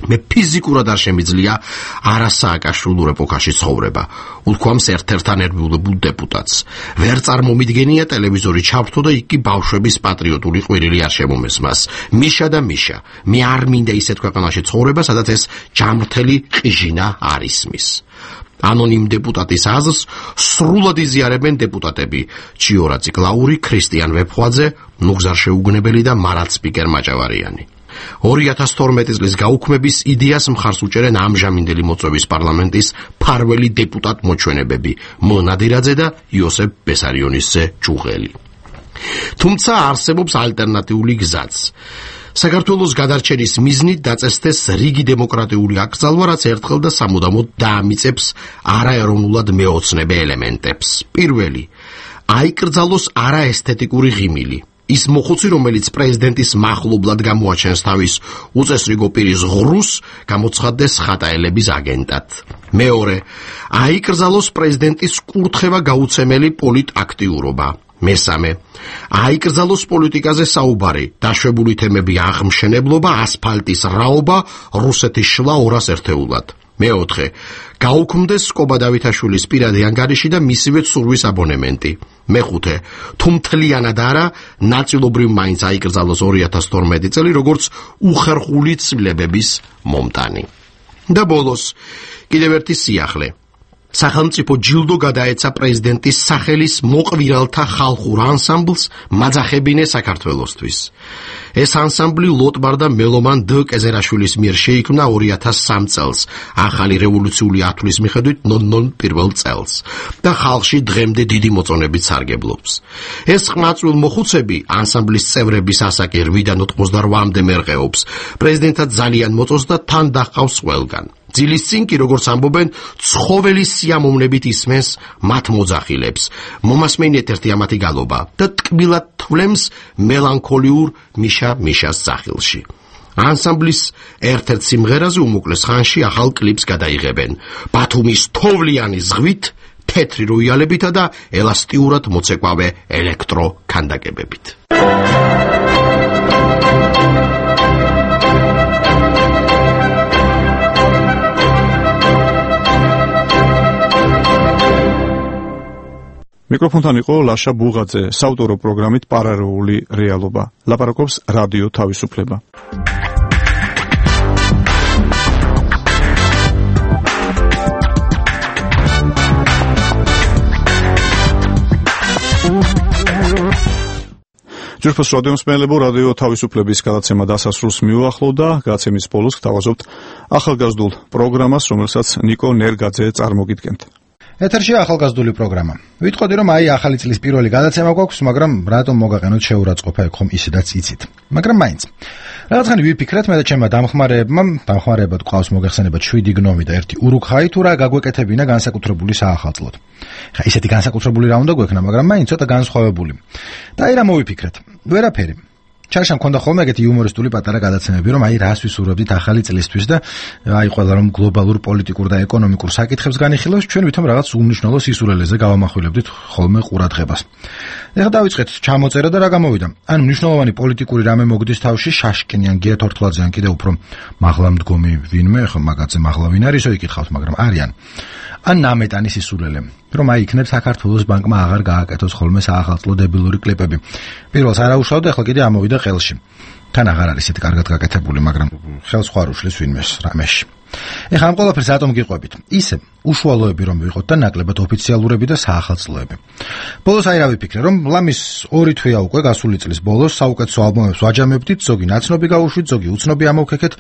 S4: მე ფიზიკურად არ შემიძლია არასააკაშვილურ ეპოქაში ცხოვრება. უთქვამს ერთ-ერთთან ერბიულებულ დეპუტატს. ვერ წარმომიდგენია ტელევიზორი ჩავთო და იქ კი ბავშვების პატრიოტული ყვირილი არ შემომესმას. მიშა და მიშა. მე არ მინდა ისეთ ქვეყანაში ცხოვრება, სადაც ეს ჯამრთელი ყიჟინა არ ისმის. ანონიმ დეპუტატის აზრს სრულად იზიარებენ დეპუტატები ჩიორა ციკლაური, ქრისტიან ვეფხვაძე, ნუგზარ შეუგნებელი და მარად სპიკერ მაჭავარიანი. 2012 წლის გაუქმების იდეას მხარს უჭერენ ამჟამინდელი მოწვევის პარლამენტის ფარველი დეპუტატ მოჩვენებები მონადირაძე და იოსებ ბესარიონისძე ჭუღელი. თუმცა არსებობს ალტერნატიული გზაც. საქართველოს გადარჩენის მიზნით დაწესდეს რიგი დემოკრატიული აკრძალვა, რაც ერთხელ და სამუდამოდ დაამიწებს არაეროვნულად მეოცნებე ელემენტებს. პირველი, აიკრძალოს არაესთეტიკური ღიმილი. ის მოხუცი, რომელიც პრეზიდენტის მახლობლად გამოაჩენს თავის უწესრიგო პირის ღრუს, გამოცხადდეს ხატაელების აგენტად. მეორე, აიკრძალოს პრეზიდენტის კურთხევა გაუცემელი პოლიტაქტიურობა. მესამე, აიკრძალოს პოლიტიკაზე საუბარი, დაშვებული თემები აღმშენებლობა, ასფალტის რაობა, რუსეთის შლა 200 ერთეულად. მეოთხე, გაუქმდეს კობა დავითაშვილის პირადი ანგარიში და მისივე ცურვის აბონემენტი. მეხუთე, თუ მთლიანად არა, ნაწილობრივ მაინც აიკრძალოს 2012 წელი, როგორც უხერხული ცვლილებების მომტანი. და ბოლოს, კიდევ ერთი სიახლე. სახელმწიფო ჯილდო გადაეცა პრეზიდენტის სახელის მოყვირალთა ხალხურ ანსამბლს მაძახებინე საქართველოსთვის. ეს ანსამბლი ლოტბარ და მელომან დ კეზერაშვილის მიერ შეიქმნა 2003 წელს, ახალი რევოლუციური ათვლის მიხედვით ნონ პირველ წელს და ხალხში დღემდე დიდი მოწონებით სარგებლობს. ეს ყმაწვილ მოხუცები ანსამბლის წევრების ასაკი 8-დან 88-მდე მერყეობს. პრეზიდენტად ძალიან მოწონს და თან დაჰყავს ყველგან. ძილის წინ კი, როგორც ამბობენ, ცხოველის სიამოვნებით ისმენს მათ მოძახილებს. მომასმენია ერთ-ერთი ამათი გალობა და ტკბილად თვლემს მელანქოლიურ მიშას სახილში. ანსამბლის ერთ-ერთ სიმღერაზე უმოკლეს ხანში ახალ კლიპს გადაიღებენ. ბათუმის თოვლიანი ზღვით, თეთრი როიალებითა და ელასტიურად მოცეკვავე ელექტრო ქანდაკებებით.
S3: მიკროფონთან იყო ლაშა ბუღაძე, საავტორო პროგრამით პარალელური რეალობა. ლაპარაკობს რადიო თავისუფლება. ჯერფოს რადიო მსმენელებო, რადიო თავისუფლების გადაცემა დასასრულს მიუახლოვდა. გადაცემის ბოლოს გთავაზობთ ახალგაზრდულ პროგრამას, რომელსაც ნიკო ნერგაძე წარმოგიდგენთ.
S7: ეთერში ახალგაზრდული პროგრამა. ვიტყოდი, რომ ახალი წლის პირველი გადაცემა გვაქვს, მაგრამ რატომ მოგაყენოთ შეურაცხყოფა ეგ ხომ ისედაც იცით. მაგრამ მაინც. რაღაცანი ვიფიქრეთ მე და ჩემმა დამხმარებად ყავს მოგეხსენება 7 გნომი და 1 ურუქაი თუ რა გაგვეკეთებინა განსაკუთრებული საახალწლოდ. ხა ისეთი განსაკუთრებული რა უნდა გვექნა, მაგრამ მაინც ცოტა განსხვავებული. და აი რა მოვიფიქრეთ. ვერაფერი. ჩაშა მქონდა ხოლმე ეგეთი იუმორისტული პატარა გადაცემები, რომ რას ვისურვებდით ახალი წლისთვის და ყველა რომ გლობალურ პოლიტიკურ და ეკონომიკურ საკითხებს განიხილავს, ჩვენ ვითომ რაღაც უმნიშვნელო სისულელეზე გავამახვილებდით ხოლმე ყურადღებას. ეხლა დავიწყეთ ჩამოწერა და რა გამოვიდა. ან მნიშვნელოვანი პოლიტიკური რამე მოგდის თავში, შაშკინიან გია თორთლაძეან კიდე უფრო მაღლა მდგომი ვინმე, ხო მაგაცე მაღლა ვინ არისო იკითხავთ, მაგრამ არიან. ან ნამეტანი სისულელე, რომ იქნებ საქართველოს ბანკმა აღარ გააკეთოს ხოლმე საახალწლო დებილური კლიპები. პირველს არა უშავდა, ახლა კიდე ამოვიდა ყელში. თან აღარ არის ისეთი კარგად გაკეთებული, მაგრამ ხელს ხوار უშლის ვინმეს რამეში. ეხლა ამ ყველაფერს რატომ გიყვებით? ისე უშუალოები რომ ვიყოთ და ნაკლებად ოფიციალურები და საახალწლოები. ბოლოს აი რა ვიფიქრე, რომ ლამის 2 თვეა უკვე გასული წლის ბოლოს საუკეთესო ალბომებს ვაჯამებდით, ზოგი ნაცნობი გავუშვით, ზოგი უცნობი ამოვქეკეთ,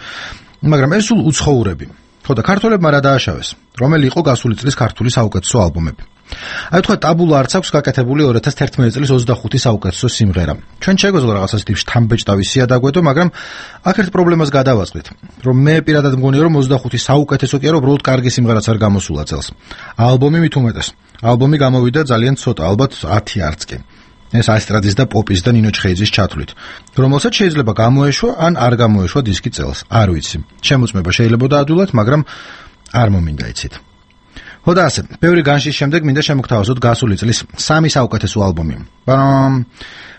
S7: მაგრამ ეს სულ უცხოურები. ხო და ქართველებმა რა დააშავეს? რომელი იყო გასული წლის ქართული საუკეთესო ალბომები? აი თქვა ტაბულა არც აქვს გაკეთებული 2011 წლის 25 საუკეთესო სიმღერა. ჩვენ შეგვეძლო რაღაცას ტიპ შთამბეჭდავისია დაგვედო, მაგრამ აქ ერთ პრობლემას გადავაწყდით, რომ მე პირადად მგონია, რომ 25 საუკეთესო კი არა, უბრალოდ კარგი სიმღერაც არ გამოსულა წელს. ალბომი მით უმეტეს. ალბომი გამოვიდა ძალიან ცოტა, ალბათ 10 არც კი. ეს ასტრადის და პოპის და ნინო ჩხეიძის ჩათვლით, რომელსაც შეიძლება გამოეშვა ან არ გამოეშვა დისკი წელს, არ ვიცი. შემოწმება შეიძლება დაადვილოთ, მაგრამ არ მომინდა იცით. ხო და ასე, ბევრი განშის შემდეგ მინდა შემოგთავაზოთ გასული წლის 3 საუკეთესო ალბომი.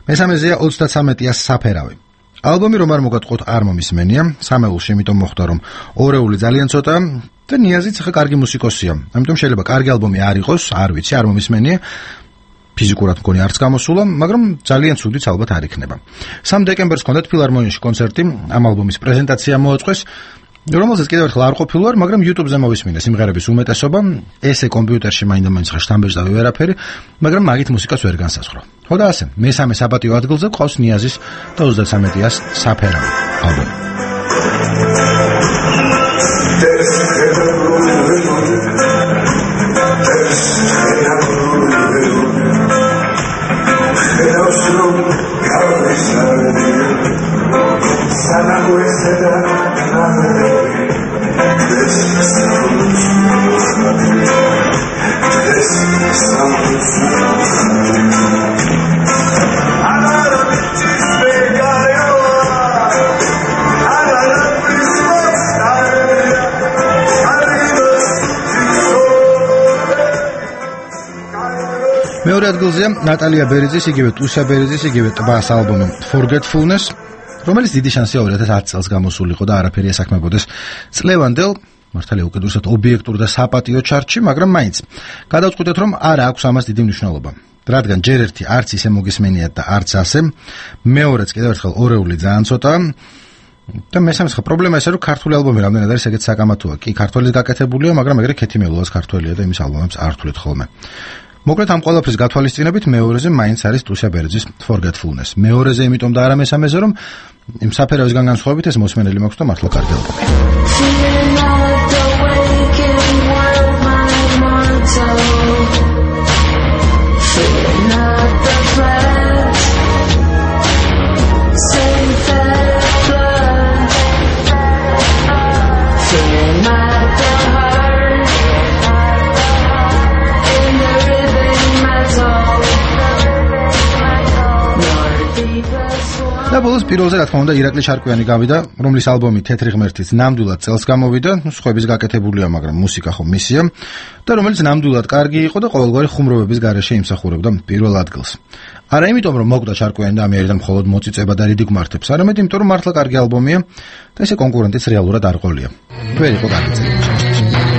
S7: მესამეზეა 33-ია საფერავი. ალბომი რომ არ მოგატყოთ არ მომისმენია, სამეულში იმიტომ მოხდა რომ ორეული ძალიან ცოტა და ნიაზიც ხა კარგი მუსიკოსია. ამიტომ შეიძლება კარგი ალბომი არ იყოს, არ ვიცი, არ მომისმენია. ფიზიკურად მგონი არც გამოსულა, მაგრამ ძალიან ცუდიც ალბათ არ იქნება. 3 დეკემბერს ჰქონდათ ფილარმონიაში კონცერტი, ამ ალბომის პრეზენტაცია მოაწყვეს, რომელზეც კიდევ ერთხელ არ ყოფილი ვარ, მაგრამ YouTube-ზე მოვისმინე სიმღერების უმეტესობა, ესე კომპიუტერში მაინდა-მაინც ხა შთამბეჭდავი ვერაფერი, მაგრამ მაგით მუსიკას ვერ განსაზღვრავ. ხო და ასე, მესამე საპატიო ადგილზე ყავს ნიაზის და 33-ას საფერავი ალბომი. მეორე ადგილზეა ნატალია ბერიძის, იგივე ტუსა ბერიძის, იგივე ტბას ალბომი Forgetfulness, რომელიც დიდი შანსია 2010 წელს გამოსულიყო და არაფერი ესაქმებოდეს წლევანდელ, მართალია უკიდურესად ობიექტურ და საპატიო ჩარტში, მაგრამ მაინც გადავწყვიტეთ, რომ არ აქვს ამას დიდი მნიშვნელობა. რადგან ჯერ ერთი არც ისე მოგისმენიათ და არც ასე, მეორეც კიდევ ერთხელ ორეული ძალიან ცოტაა. და მესამე პრობლემა ისე რომ ქართული ალბომი რამდენად არის ეგეთ საკამათოა. კი, ქართველის გაკეთებულია, მაგრამ ეგრე ქეთიმელოას ქართველია და იმის ალბომებს არ თვლით ხოლმე. მოკლედ ამ ყველაფრის გათვალისწინებით მეორეზე მაინც არის ტუსა ბერიძის Forgetfulness. მეორეზე იმიტომ და არა მესამეზე, რომ იმ საფერავისგან განსხვავებით ეს მოსმენელი მაქვს და მართლა კარგი ალბომი. ბოლოს პირველზე რა თქმა უნდა ირაკლი ჩარკვიანი გავიდა, რომლის ალბომი თეთრი ღმერთიც ნამდვილად წელს გამოვიდა, სხვების გაკეთებულია, მაგრამ მუსიკა ხო მისია და რომელიც ნამდვილად კარგი იყო და ყოველგვარი ხუმრობების გარეშე იმსახურებდა პირველ ადგილს. არა იმიტომ რომ მოკვდა ჩარკვიანი და ამერიდან მხოლოდ მოწიწება და რიდი გმართებს, არამედ იმიტომ რომ მართლა კარგი ალბომია და ესე კონკურენტიც რეალურად არ ყოლია. ვერ იყო კარგი წელი.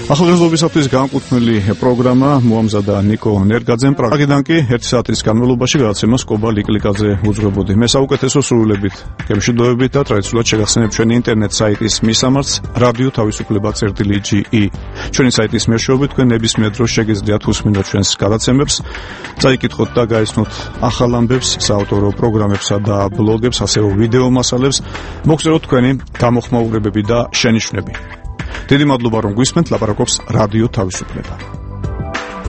S3: ახალგაზრდობისათვის განკუთვნილი პროგრამა მოამზადა ნიკო ნერგაძემ. პრაგიდან კი 1 საათის განმავლობაში გადაცემას კობა ლიკლიკაძე უძღვებოდი. მე საუკეთესო სრულებით, გემშვიდობებით და ტრადიციულად შეგახსენებ ჩვენი ინტერნეტ საიტის მისამართს რადიო თავისუფლება.ge. ჩვენი საიტის მეშვეობით თქვენ ნებისმიერ დროს შეგიძლიათ უსმინოთ ჩვენს გადაცემებს, წაიკითხოთ და გაიცნოთ ახალ ამბებს, საავტორო პროგრამებსა და ბლოგებს, ასევე ვიდეო მასალებს, მოგწეროთ თქვენი გამოხმაურებები და შენიშვნები. დიდი მადლობა რომ გვისმენთ, ლაპარაკობს რადიო თავისუფლება.